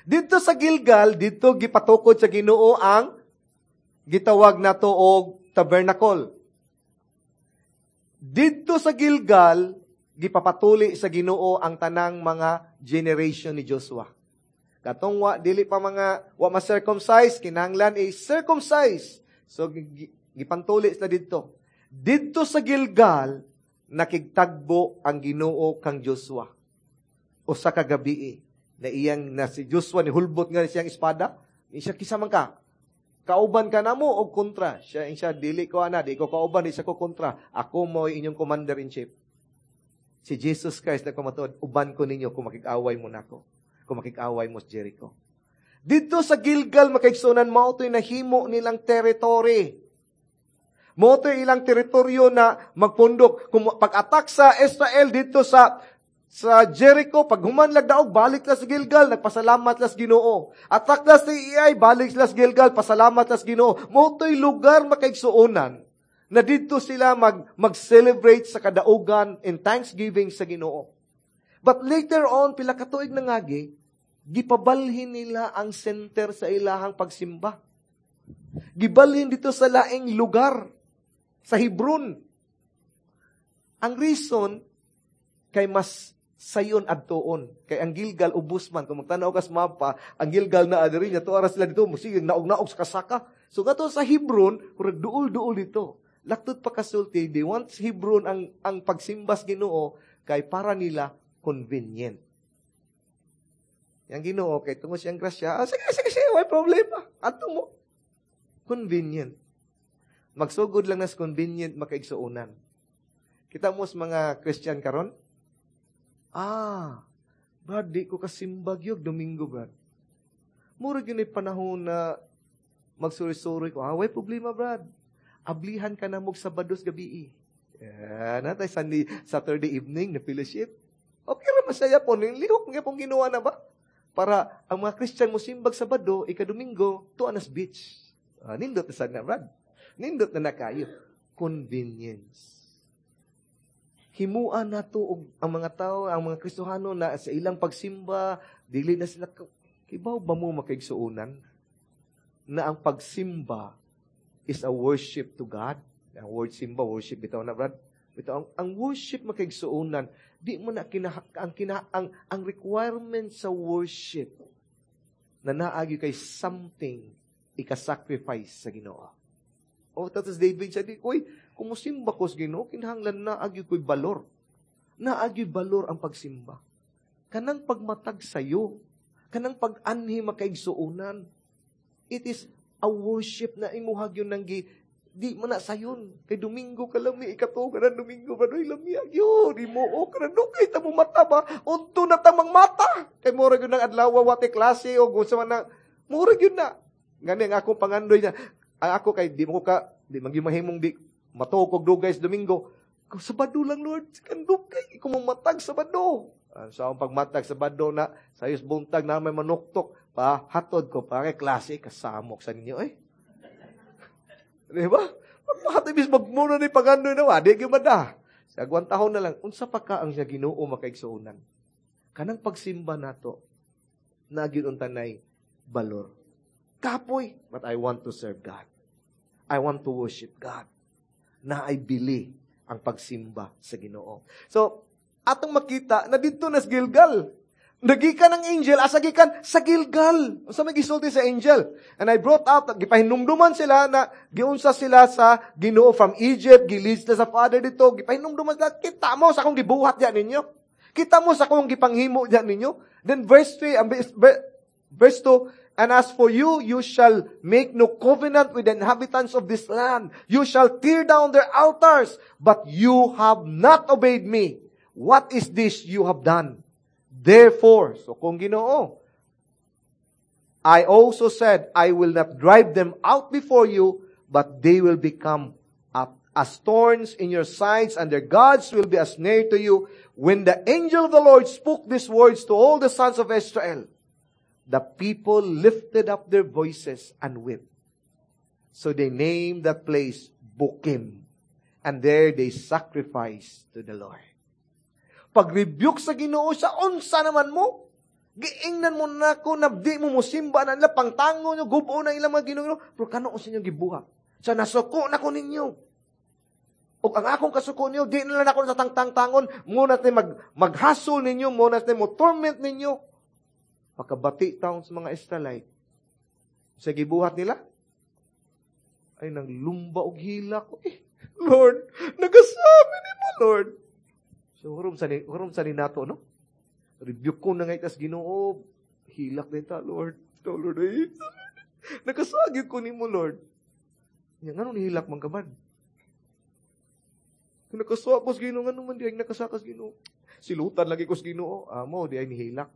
Dito sa Gilgal, dito gipatukod sa Ginoo ang gitawag na to og tabernacle. Dito sa Gilgal, gipapatuli sa Ginoo ang tanang mga generation ni Joshua. Katong wa dili pa mga wa ma-circumcise, kinahanglan i-circumcise. So gipantuli sila didto. Didto sa Gilgal nakigtagbo ang Ginoo kang Joshua. Usa ka gabii na iyang na si Joshua ni hulbot nga siyang espada, siya, "Kisa man ka? Kauban ka namo og kontra?" Siya siya, "Dili ko ana, di ko kauban, di sa ko kontra. Ako mo inyong commander in chief." Si Jesus Christ nagpamatuod, "Uban ko ninyo kung makig-away mo nako. Kung makig-away mo sa Jericho." Dito sa Gilgal, makaigsunan, mao to'y nahimo nilang territory. Mao to'y ilang teritoryo na magpundok. Kung pag-attack sa Israel dito sa Jericho, pag human lagdaog, balik la sa Gilgal, nagpasalamat las Ginoo. Attack la sa Ai, balik la sa Gilgal, pasalamat las Ginoo. Mao to'y lugar, makaigsuonan, Na didto sila mag-celebrate sa kadaugan in thanksgiving sa Ginoo. But later on, pila ka tuig nangagi, gipabalhin nila ang center sa ilahang pagsimba. Gibalhin dito sa laing lugar, sa Hebron. Ang reason, kay mas sayon adtuon. Kay ang Gilgal ubos man. Kung magtanaw ka sa mapa, ang Gilgal na adiri niya, tuara sila dito, musige naog-naog sa kasaka. So kato sa Hebron, murag duol-duol dito. Laktod pa kasulti, they want Hebron ang pagsimbas Ginoo kay para nila convenient. Yang Ginoo kay tungod siyang grasya, ah, sige, sige, sige, way problema. Adto mo. Convenient. Magsugod lang nas convenient makaigsuonan. Kita mo sa mga Christian karon? Ah, Brad, di ko kasimbag yun, Domingo, Brad. Mura gyud panahon na magsuri-suri ko. Ah, way problema, Brad. Ablihan ka na mo Sabados gabi. Yeah, natay Sunday, Saturday evening na fellowship. Okay ra, masaya po. Lihok nga pong ginawa na ba? Para ang mga Christian mo simbag Sabado, ika-Domingo, tuwa nas beach. Ah, nindot na sana, Brad. Nindot na na kayo. Convenience. Himuan nato og ang mga tao, ang mga Kristohano na sa ilang pagsimba, dili na sila, kibaw ba mo makaigsuonan na ang pagsimba is a worship to God? Ang word simba, worship bitaw na, Brad. Bitaw, ang worship makaigsuonan, di mo na kina, ang, kina, ang requirement sa worship na naagi kay something ika-sacrifice sa Ginoo. O, tapos David siya, di, uy, kung musimba ko sa Ginoo, kinahanglan naagi ko'y balor. Naagi balor ang pagsimba. Kanang pagmatag sayo, kanang pag-anhi makaigsuonan. It is a worship na imuhag yun nang di mo na sayon. Kay Domingo ka lami, ikato ka na Domingo ba, doy lami yun, di mo, o ka na, kay tamo mata ba, unto na tamang mata. Kay mura yun ng adlaw, wate klase, o kung sa man na, mura yun na. Gani ang akong pangandoy niya, ang ako kay, di mo ko ka, di magyumahimong di, matukog dugay sa Domingo. Sabado lang, Lord, kandugay, ikaw mamatag Sabado. Sa akong pagmatag Sabado na, sa ayos buntag na may manuktok, pa, hatod ko, pa, kay klase, kasamok sa ninyo, eh. Di ba? Pagpahatid, bis magmuna ni pagandoy na, di gyud ba sa agwang tahon na lang, unsa pa ka ang siya Ginoo makaigsuonan? Kanang pagsimba nato, nagyud untanay balor. Kapoy, but I want to serve God. I want to worship God. Na ay bili ang pagsimba sa Ginoo. So, atong makita na dito nas Gilgal. Nagikan ang angel, asa gikan? Sa Gilgal. Unsa may gisulti sa angel? And I brought out, gipahinumduman sila na giunsa sila sa Ginoo from Egypt, gilead sila sa father dito, gipahinumduman sila, kita mo sa akong gibuhat diyan ninyo. Kita mo sa akong gipanghimo diyan ninyo. Then verse 3, verse 2, and as for you, you shall make no covenant with the inhabitants of this land. You shall tear down their altars, but you have not obeyed me. What is this you have done? Therefore, so kung Ginoo, I also said, I will not drive them out before you, but they will become as thorns in your sides, and their gods will be a snare to you. When the angel of the Lord spoke these words to all the sons of Israel, the people lifted up their voices and wept. So they named that place Bokim, and there they sacrificed to the Lord. Pag-rebuke sa Ginoo sa unsa naman mo, giingnan mo na ko na di mo musimba na nila, pangtango nyo, gubo na ilang mga Ginoo, pero kano sa inyong gibuhat? Sa nasuko na ko ninyo. O ang akong kasuko ninyo, di na lang ako sa tangtang-tangon, muna tayo maghasol ninyo, muna tayo mo torment ninyo. Pakabati taon sa mga Israelite. Sa gibuhat nila, ay nang lumba og hila ko. Eh, Lord, nagasabi ni mo, Lord. So, hurom sa ni nato, no? Rebuke ko na ngay tas Ginoo. Hilak din ta, Lord. Oh, Lord, ay, nakasagyo ko ni mo, Lord. Nga, ngano nihilak man ka man? Nakasakos Ginoo, ngano man di ay nakasakas Ginoo. Silutan lagi ko sa Ginoo. Amo, di ay nihilak.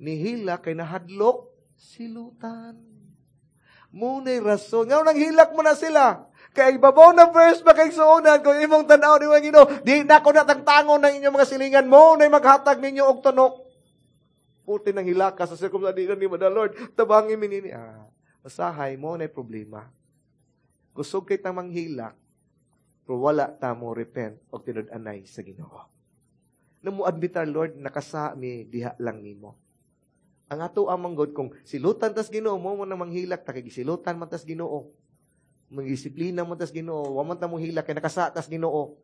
Nihilak kay nahadlok, silutan. Muna'y rason. Nga nang hilak mo na sila. Kay ibabaw na verse makaigsuonan kung imong tan-aw ni mga Ginoo, di na ko natangtangon ng inyong mga silingan mo na'y maghatag ninyo og tunok. Puti nang hilaka sa circumstance ni the Lord. Tabangi minini. Ah, masahay mo na'y problema. Kusog kay tamang hilak, Pero wala ta mo repent og tinud-anay sa Ginoo. Na mo admit, "Lord, nakasa mi diha lang nimo." Ang ato amang God, kung silutan tas Ginoo mo mo nang manghilak ta kay gisilutan man tas Ginoo. Mangdisiplina man tas Ginoo, wa man ta mo hilak kay nakasa tas Ginoo.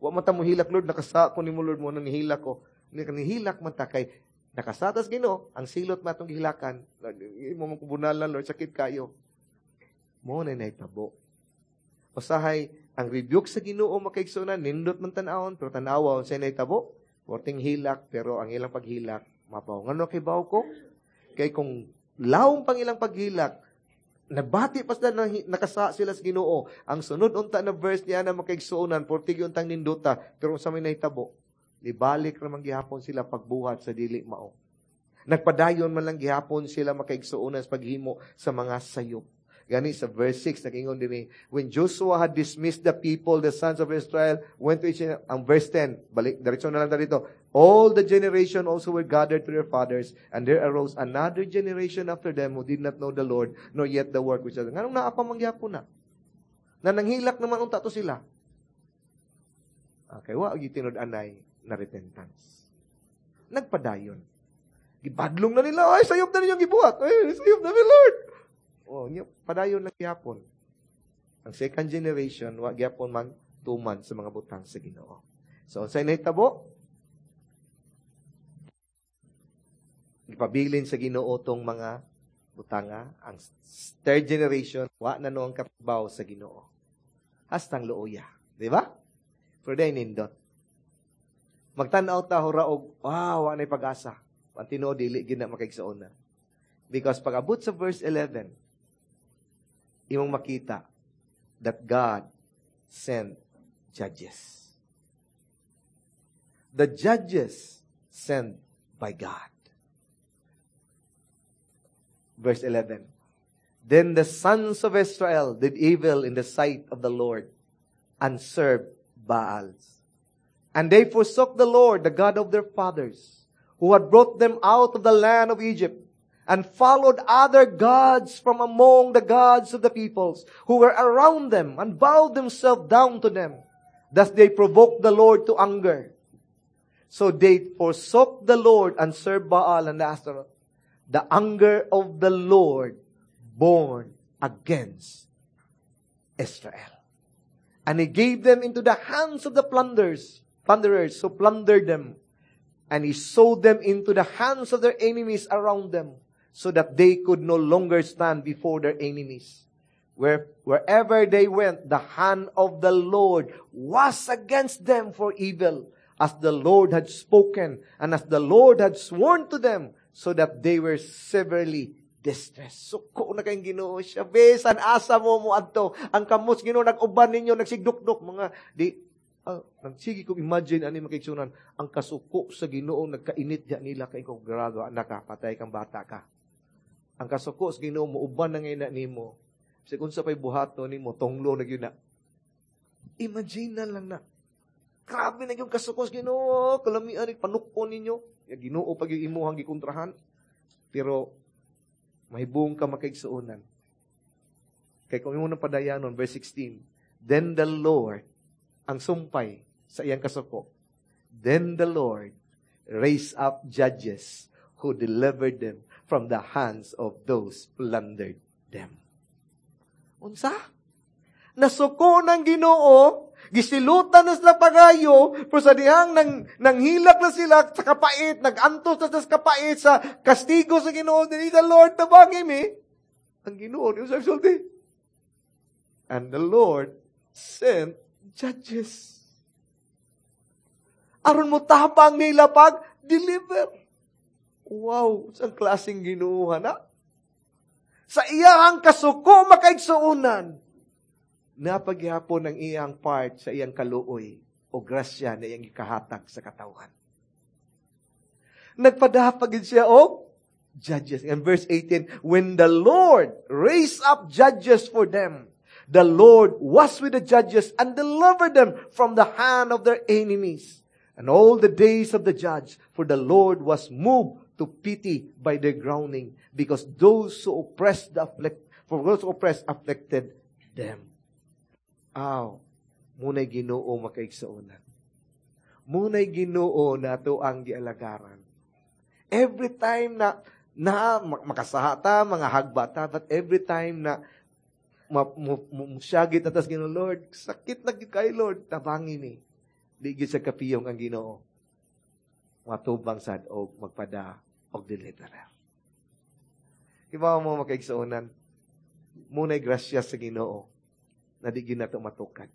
Wa man ta mo hilak, "Lord, nakasa ko nimo, Lord, mo nang nihilak ko." Nihilak man ta kay nakasa tas Ginoo, ang silot matong gihilakan. Imo man kubunalan, Lord, sakit kayo. Mo na nahitabo. Usahay, ang rebuke sa Ginoo, makaigsunan, nindot man tan-awon, pero tan-awa unsay nahitabo, porting hilak, pero ang ilang paghilak, mabaw. Ngano kay baw ko? Kay kung lawom pang ilang paghilak, nabati pa sila na nakasa sila sa Ginoo. Ang sunod unta na verse niya na, makaigsuonan, portig untang nindota, pero unsa may nahitabo? Nibalik ra man gihapon sila pagbuhat sa dili mao. Nagpadayon man lang gihapon sila, makaigsuonan, sa paghimo sa mga sayop. Gani sa verse 6, nag-ingon dinhi, when Joshua had dismissed the people, the sons of Israel went to each, ang verse 10, balik, diretso na lang dito. All the generation also were gathered to their fathers, and there arose another generation after them who did not know the Lord, nor yet the work which. Nganong naa pa man gyapon na? Na nanghilak naman unta to sila. Okay, wa tinud-anay na repentance. Nagpadayon. Gibadlong na nila, "Ay, sayop na ninyong gibuhat. Ay, sayop na mi, Lord." Oh, nya, padayon lang gyapon. Ang second generation, wa gyapon man tuman sa mga butang sa Ginoo. So, unsay nahitabo? Gipabilin sa Ginoo tong mga butanga. Ang third generation, wa na no ang kabaw sa Ginoo. Hastang luoya. Di ba? Pero day nindot. Magtan-aw ta hura og, wow, wa na'y pag-asa. Ang tinuod, dili gid na, makaigsuon na. Because pag abot sa verse 11, imong makita that God sent judges. The judges sent by God. Verse 11. Then the sons of Israel did evil in the sight of the Lord and served Baals. And they forsook the Lord, the God of their fathers, who had brought them out of the land of Egypt, and followed other gods from among the gods of the peoples who were around them, and bowed themselves down to them. Thus they provoked the Lord to anger. So they forsook the Lord and served Baal and Ashtaroth. The anger of the Lord burned against Israel. And he gave them into the hands of the plunderers who plundered them. And he sold them into the hands of their enemies around them, so that they could no longer stand before their enemies. Wherever they went, the hand of the Lord was against them for evil, as the Lord had spoken, and as the Lord had sworn to them, so that they were severely distressed. Suko na kayong Ginoo siya. Bisan asa mo mo adto. Ang kamot Ginoo nag-uban ninyo, nagsigdukdok mga di nagsige kong imagine ani, makaigsunan, ang kasuko sa Ginoo nagkainit diya nila kay kung grado anak ka, patay kang bata ka. Ang kasuko sa Ginoo mo uban na ngayon na nimo. Bisag unsa pay buhaton nimo, tonglo na gyud na. Imagine na lang na. Grabe na yung kasuko sa Ginoo, kalamian ni panukon ninyo. Ya Ginoo pag yung imuhang gikontrahan. Pero mahibong ka, makaigsuonan. Kay kung imo nang padayanon, verse 16, then the Lord, ang sumpay sa iyang kasuko, then the Lord raised up judges who delivered them from the hands of those plundered them. Unsa? Nasuko ng Ginoo, gisilutan na sila pagayo, pero sa dihang nang hilak na sila sa kapait, nagantos na sila sa kapait sa kastigo sa Ginoo, dili the Lord tabangi mi. Ang Ginoo, niyo sa sulti. And the Lord sent judges. Aron mo tabang nila pag deliver. Wow, sa klaseng Ginoo na. Sa iyang kasuko, makaigsuonan, napaghihapon ang iyang part sa iyang kaluoy o grasya na iyang ikahatag sa katawhan. Nagpadapag siya og judges. And verse 18, when the Lord raised up judges for them, the Lord was with the judges and delivered them from the hand of their enemies. And all the days of the judge, for the Lord was moved to pity by their groaning, because those who oppressed the afflict, for those who oppressed afflicted them. Aw. Muna'y Ginoo, makaigsuonan. Muna'y Ginoo na ato ang gialagaran. Every time na na makasaha ta, mga hagba ta, but every time na musyagit na tas Ginoo, "Lord, sakit na gyud kay Lord, tabangi ni." Di gyud sa kapiyong ang Ginoo. Matubang sad og magpada og deliverer. Iba mo, makaigsuonan, muna'y grasya sa Ginoo na di gyud nato matukad.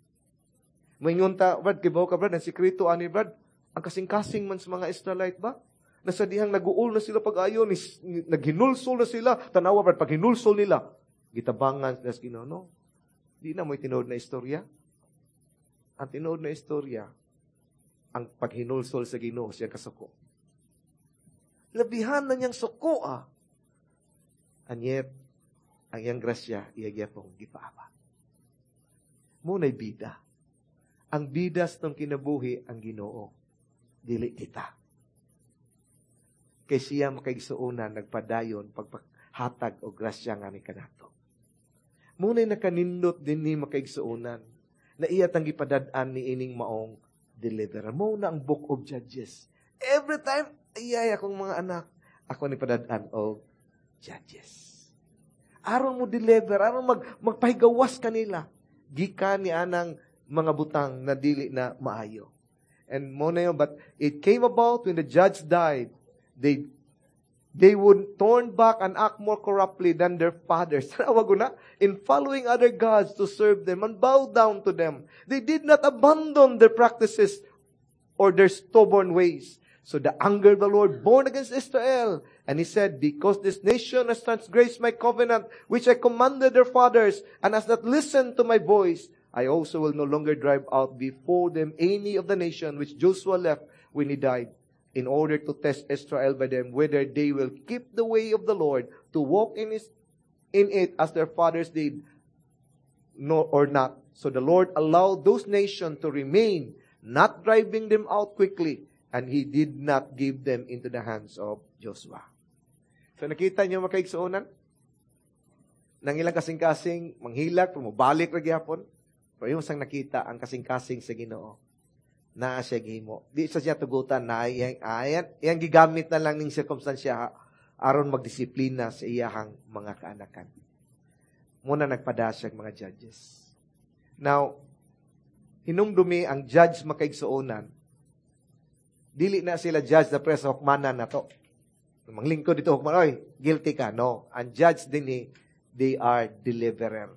Moingon ta, "Brad, kibaw ka, Brad, ang sikreto ani, Brad, ang kasing-kasing man sa mga Israelite ba? Nasa dihang naguol na sila pag-ayo, naghinulsol na sila. Tanawa, Brad, pag hinulsol nila, gitabangan sila sa Ginoo." No? Di na mo'y tinuod na istorya. Ang tinuod na istorya, ang paghinulsol sa Ginoo siya kasuko. Labihan na niyang suko ah. And yet, ang iyang grasya, iya gyapong gipaaba. Muna'y bida. Ang bidas ng kinabuhi ang Ginoo. Dili kita. Kay siya, makaigsuonan, nagpadayon pagpahatag og grasya nga ni kanato. Muna'y nakanindot din ni, makaigsuonan, na iya tang gipadad-an ni ining maong deliverer. Mo na ang Book of Judges. Every time, ayay akong mga anak, ako ni padad-an og Judges. Aron mo deliver, aron magpahigawas kanila gikan ni anang mga butang na dili na maayo. And mo na yun, but it came about when the judge died, they would turn back and act more corruptly than their fathers. Tawag na, in following other gods to serve them and bow down to them. They did not abandon their practices or their stubborn ways. So the anger of the Lord burned against Israel. And he said, "Because this nation has transgressed my covenant, which I commanded their fathers, and has not listened to my voice, I also will no longer drive out before them any of the nation which Joshua left when he died, in order to test Israel by them, whether they will keep the way of the Lord to walk in it as their fathers did, no, or not." So the Lord allowed those nations to remain, not driving them out quickly, and He did not give them into the hands of Joshua. So nakita niyo, makaigsuonan? Nang ilang kasing-kasing, manghilak, mubalik ra gyapon. Pero yung sang nakita ang kasing-kasing sa Ginoo, naa siya gihimo. Di sa siya tugutan na iyang, ayan, iyang gigamit na lang ning sirkumstansya aron magdisiplina sa iyahang mga kaanakan. Muna nagpada siya mga judges. Now, hinumdumi ang judge, makaigsuonan, dili na sila judge na presa hukmanan na to. Manglingkod dito hukman, "Oy, guilty ka." No. Ang judge din eh, they are deliverer.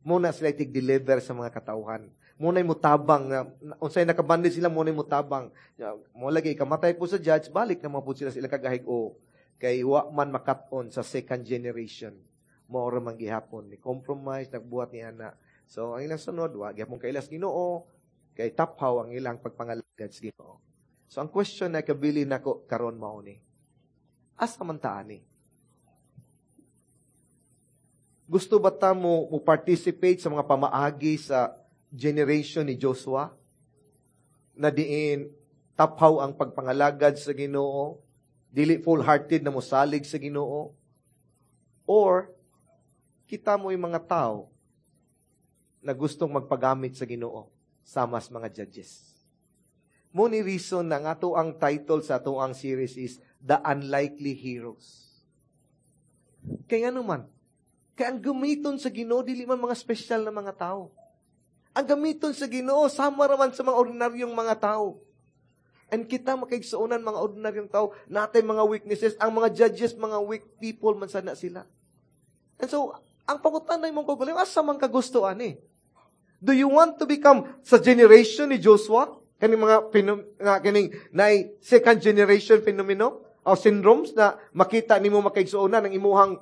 Muna sila itig-deliver sa mga katauhan. Muna'y mutabang, na, unsay nakabandi sila, muna'y mutabang. Mo lagi, kamatay po sa judge, balik naman po sila sila kagahig o. Kay wa man makat-on sa second generation. Mao ra man gihapon. Ni compromise, nagbuhat ni ana. So, ang ilang sunod, wa gyapon kailas Ginoo, kay taphaw ang ilang pagpangalagad sa Ginoo. So, ang question na kabili nako karon mao ni: Asa man ta ani? Gusto ba ta mo participate sa mga pamaagi sa generation ni Joshua? Na diin taphaw ang pagpangalagad sa Ginoo, dili full-hearted na mosalig sa Ginoo, or kita mo yung mga tao na gustong magpagamit sa Ginoo sama sa mga judges? Mo ni reason na nga ato ang title sa ato ang series is The Unlikely Heroes. Kaya ano man, kaya ang gamiton sa Ginoo dili man mga espesyal na mga tao. Ang gamiton sa Ginoo sama raman sa mga ordinaryong mga tao. And kita, makaigsuonan, mga ordinaryong tao, natay mga weaknesses, ang mga judges, mga weak people man sana sila. And so, ang pangutana imong kaugalingon, asa man ka gusto ani? Do you want to become sa generation ni Joshua? Kaning mga na kaning nay second generation phenomenon o syndromes na makita nimo, makaigsuonan, ang imuhang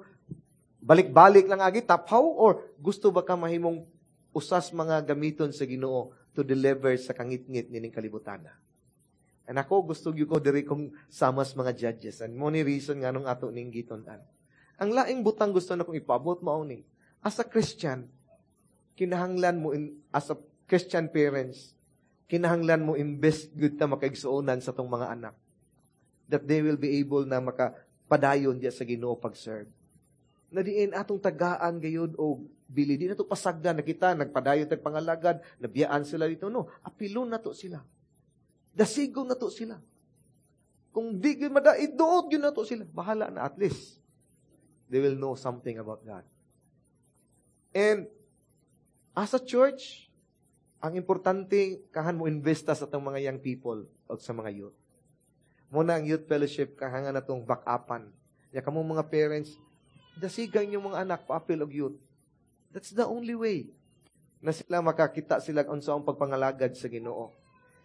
balik-balik lang agi taphaw, or gusto ba ka mahimong usas mga gamiton sa Ginoo to deliver sa kangitngit nining kalibutan? And ako, gusto gyud ko diri kong samas mga judges. And mo ni reason nga nung ato ning gitun-an. Ang laing butang gusto na kong ipabot mao ni: as a Christian, kinahanglan mo in, as a Christian parents, kinahanglan mo invest gud ta, makaigsuonan, sa tong mga anak, that they will be able na makapadayon diya sa Ginoo pag-serve. Na diin atong tagaan gayud og bili. Di nato pasagdan na kita nagpadayon tag pangalagad, nabiyaan sila dito. No, apilon nato sila. Dasigon nato sila. Kung di gyud madait, duot gyud nato sila. Bahala na, at least they will know something about God. And as a church, ang importante kahan mo investa sa atong mga young people o sa mga youth. Muna ang youth fellowship kahangan natong back-upan. Ya kamo mga parents, dasigan yung mga anak paapil og youth. That's the only way na sila makakita sila unsa ang pagpangalagad sa Ginoo.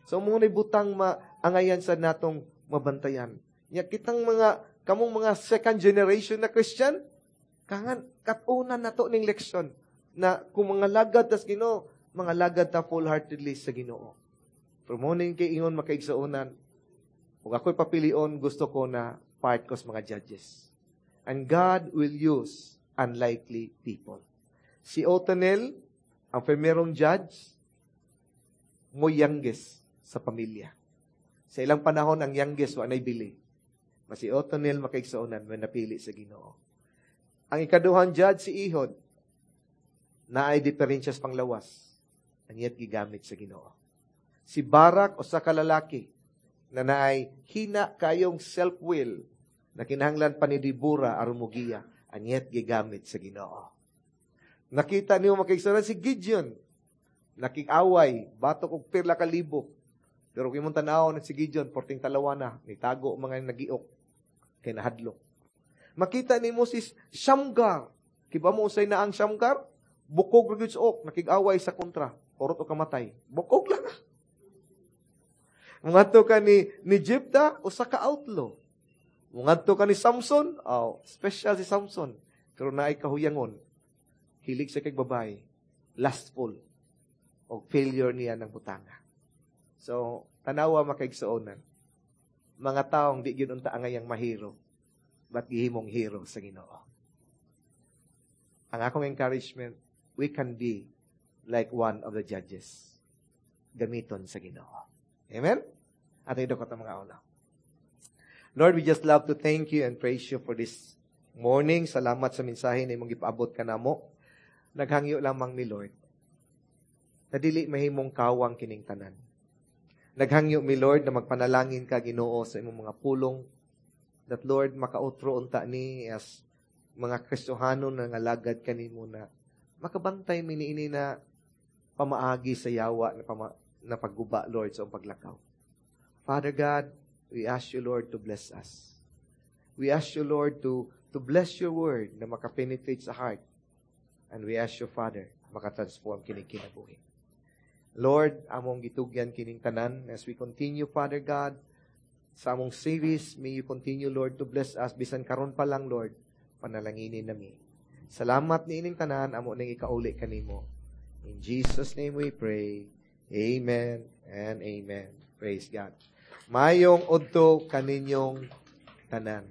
So mo butang maangayan sa natong mabantayan. Nya kitang mga kamong mga second generation na Christian, kangan katunan nato ning leksyon na kung mga lagad tas Ginoo, mga lagad ta full-heartedly sa Ginoo. Pero mo ning kay ingon, makaigsuonan, kung ako'y papilion, gusto ko na part ko sa mga judges. And God will use unlikely people. Si Othniel, ang primerong judge, mo youngest sa pamilya. Sa ilang panahon, ang youngest wa nay bili. Mas si Othniel, makaigsuonan, may napili sa Ginoo. Ang ikaduhang judge, si Ehud, na ay diferensyas panglawas, and yet gigamit sa Ginoo. Si Barak, usa ka lalaki, na naay hina kayong self-will, na kinahanglan pa ni Debora aron mogiya, and yet gigamit sa Ginoo. Nakita niyo, makaigsuonan, si Gideon, nakig-away, batok og pila ka libo. Pero kung imong tan-awon si Gideon, porting talawa na, nitago mga nagiok, kay nahadlok. Makita nimo si Shamgar. Kiba mo usay na ang Shamgar? Bukog ra gyud sa ok, nakig-away sa kontra. Kurot o kamatay. Bukog lang. Mungadto ka ni Jephthah, usa ka outlaw. Mungadto ka ni Samson, oh, special si Samson. Pero naay kahuyangon. Hilig sa kay babae, lustful, o failure niya ng butanga. So, tanawa, makaigsuonan. Mga taong di gyud unta angayang mahero, but gihimong hero sa Ginoo. Ang akong encouragement, we can be like one of the judges. Gamiton sa Ginoo. Amen? Ato idukot ang mga ulo. Lord, we just love to thank you and praise you for this morning. Salamat sa mensahe na imong gipaabot kanamo. Naghangyo lamang mi, Lord, na dili mahimong kawang kining tanan. Naghangyo mi, Lord, na magpanalangin ka, Ginoo, sa imong mga pulong that, Lord, makautro unta ni as mga Kristohano na ngalagad kanimo na makabantay mi niini na pamaagi sa yawa na pagguba, Lord, sa paglakaw. Father God, we ask you, Lord, to bless us. We ask you, Lord, to bless your word na makapenetrate sa heart. And we ask you, Father, makatransform kini kinabuhi. Lord, among gitugyan kining tanan as we continue, Father God, sa among series, may you continue, Lord, to bless us. Bisan karon pa lang, Lord, panalanginin nami. Salamat ni ining tanan, amo ning ikauli kanimo. In Jesus' name we pray. Amen and amen. Praise God. Mayong udto kaninyong tanan.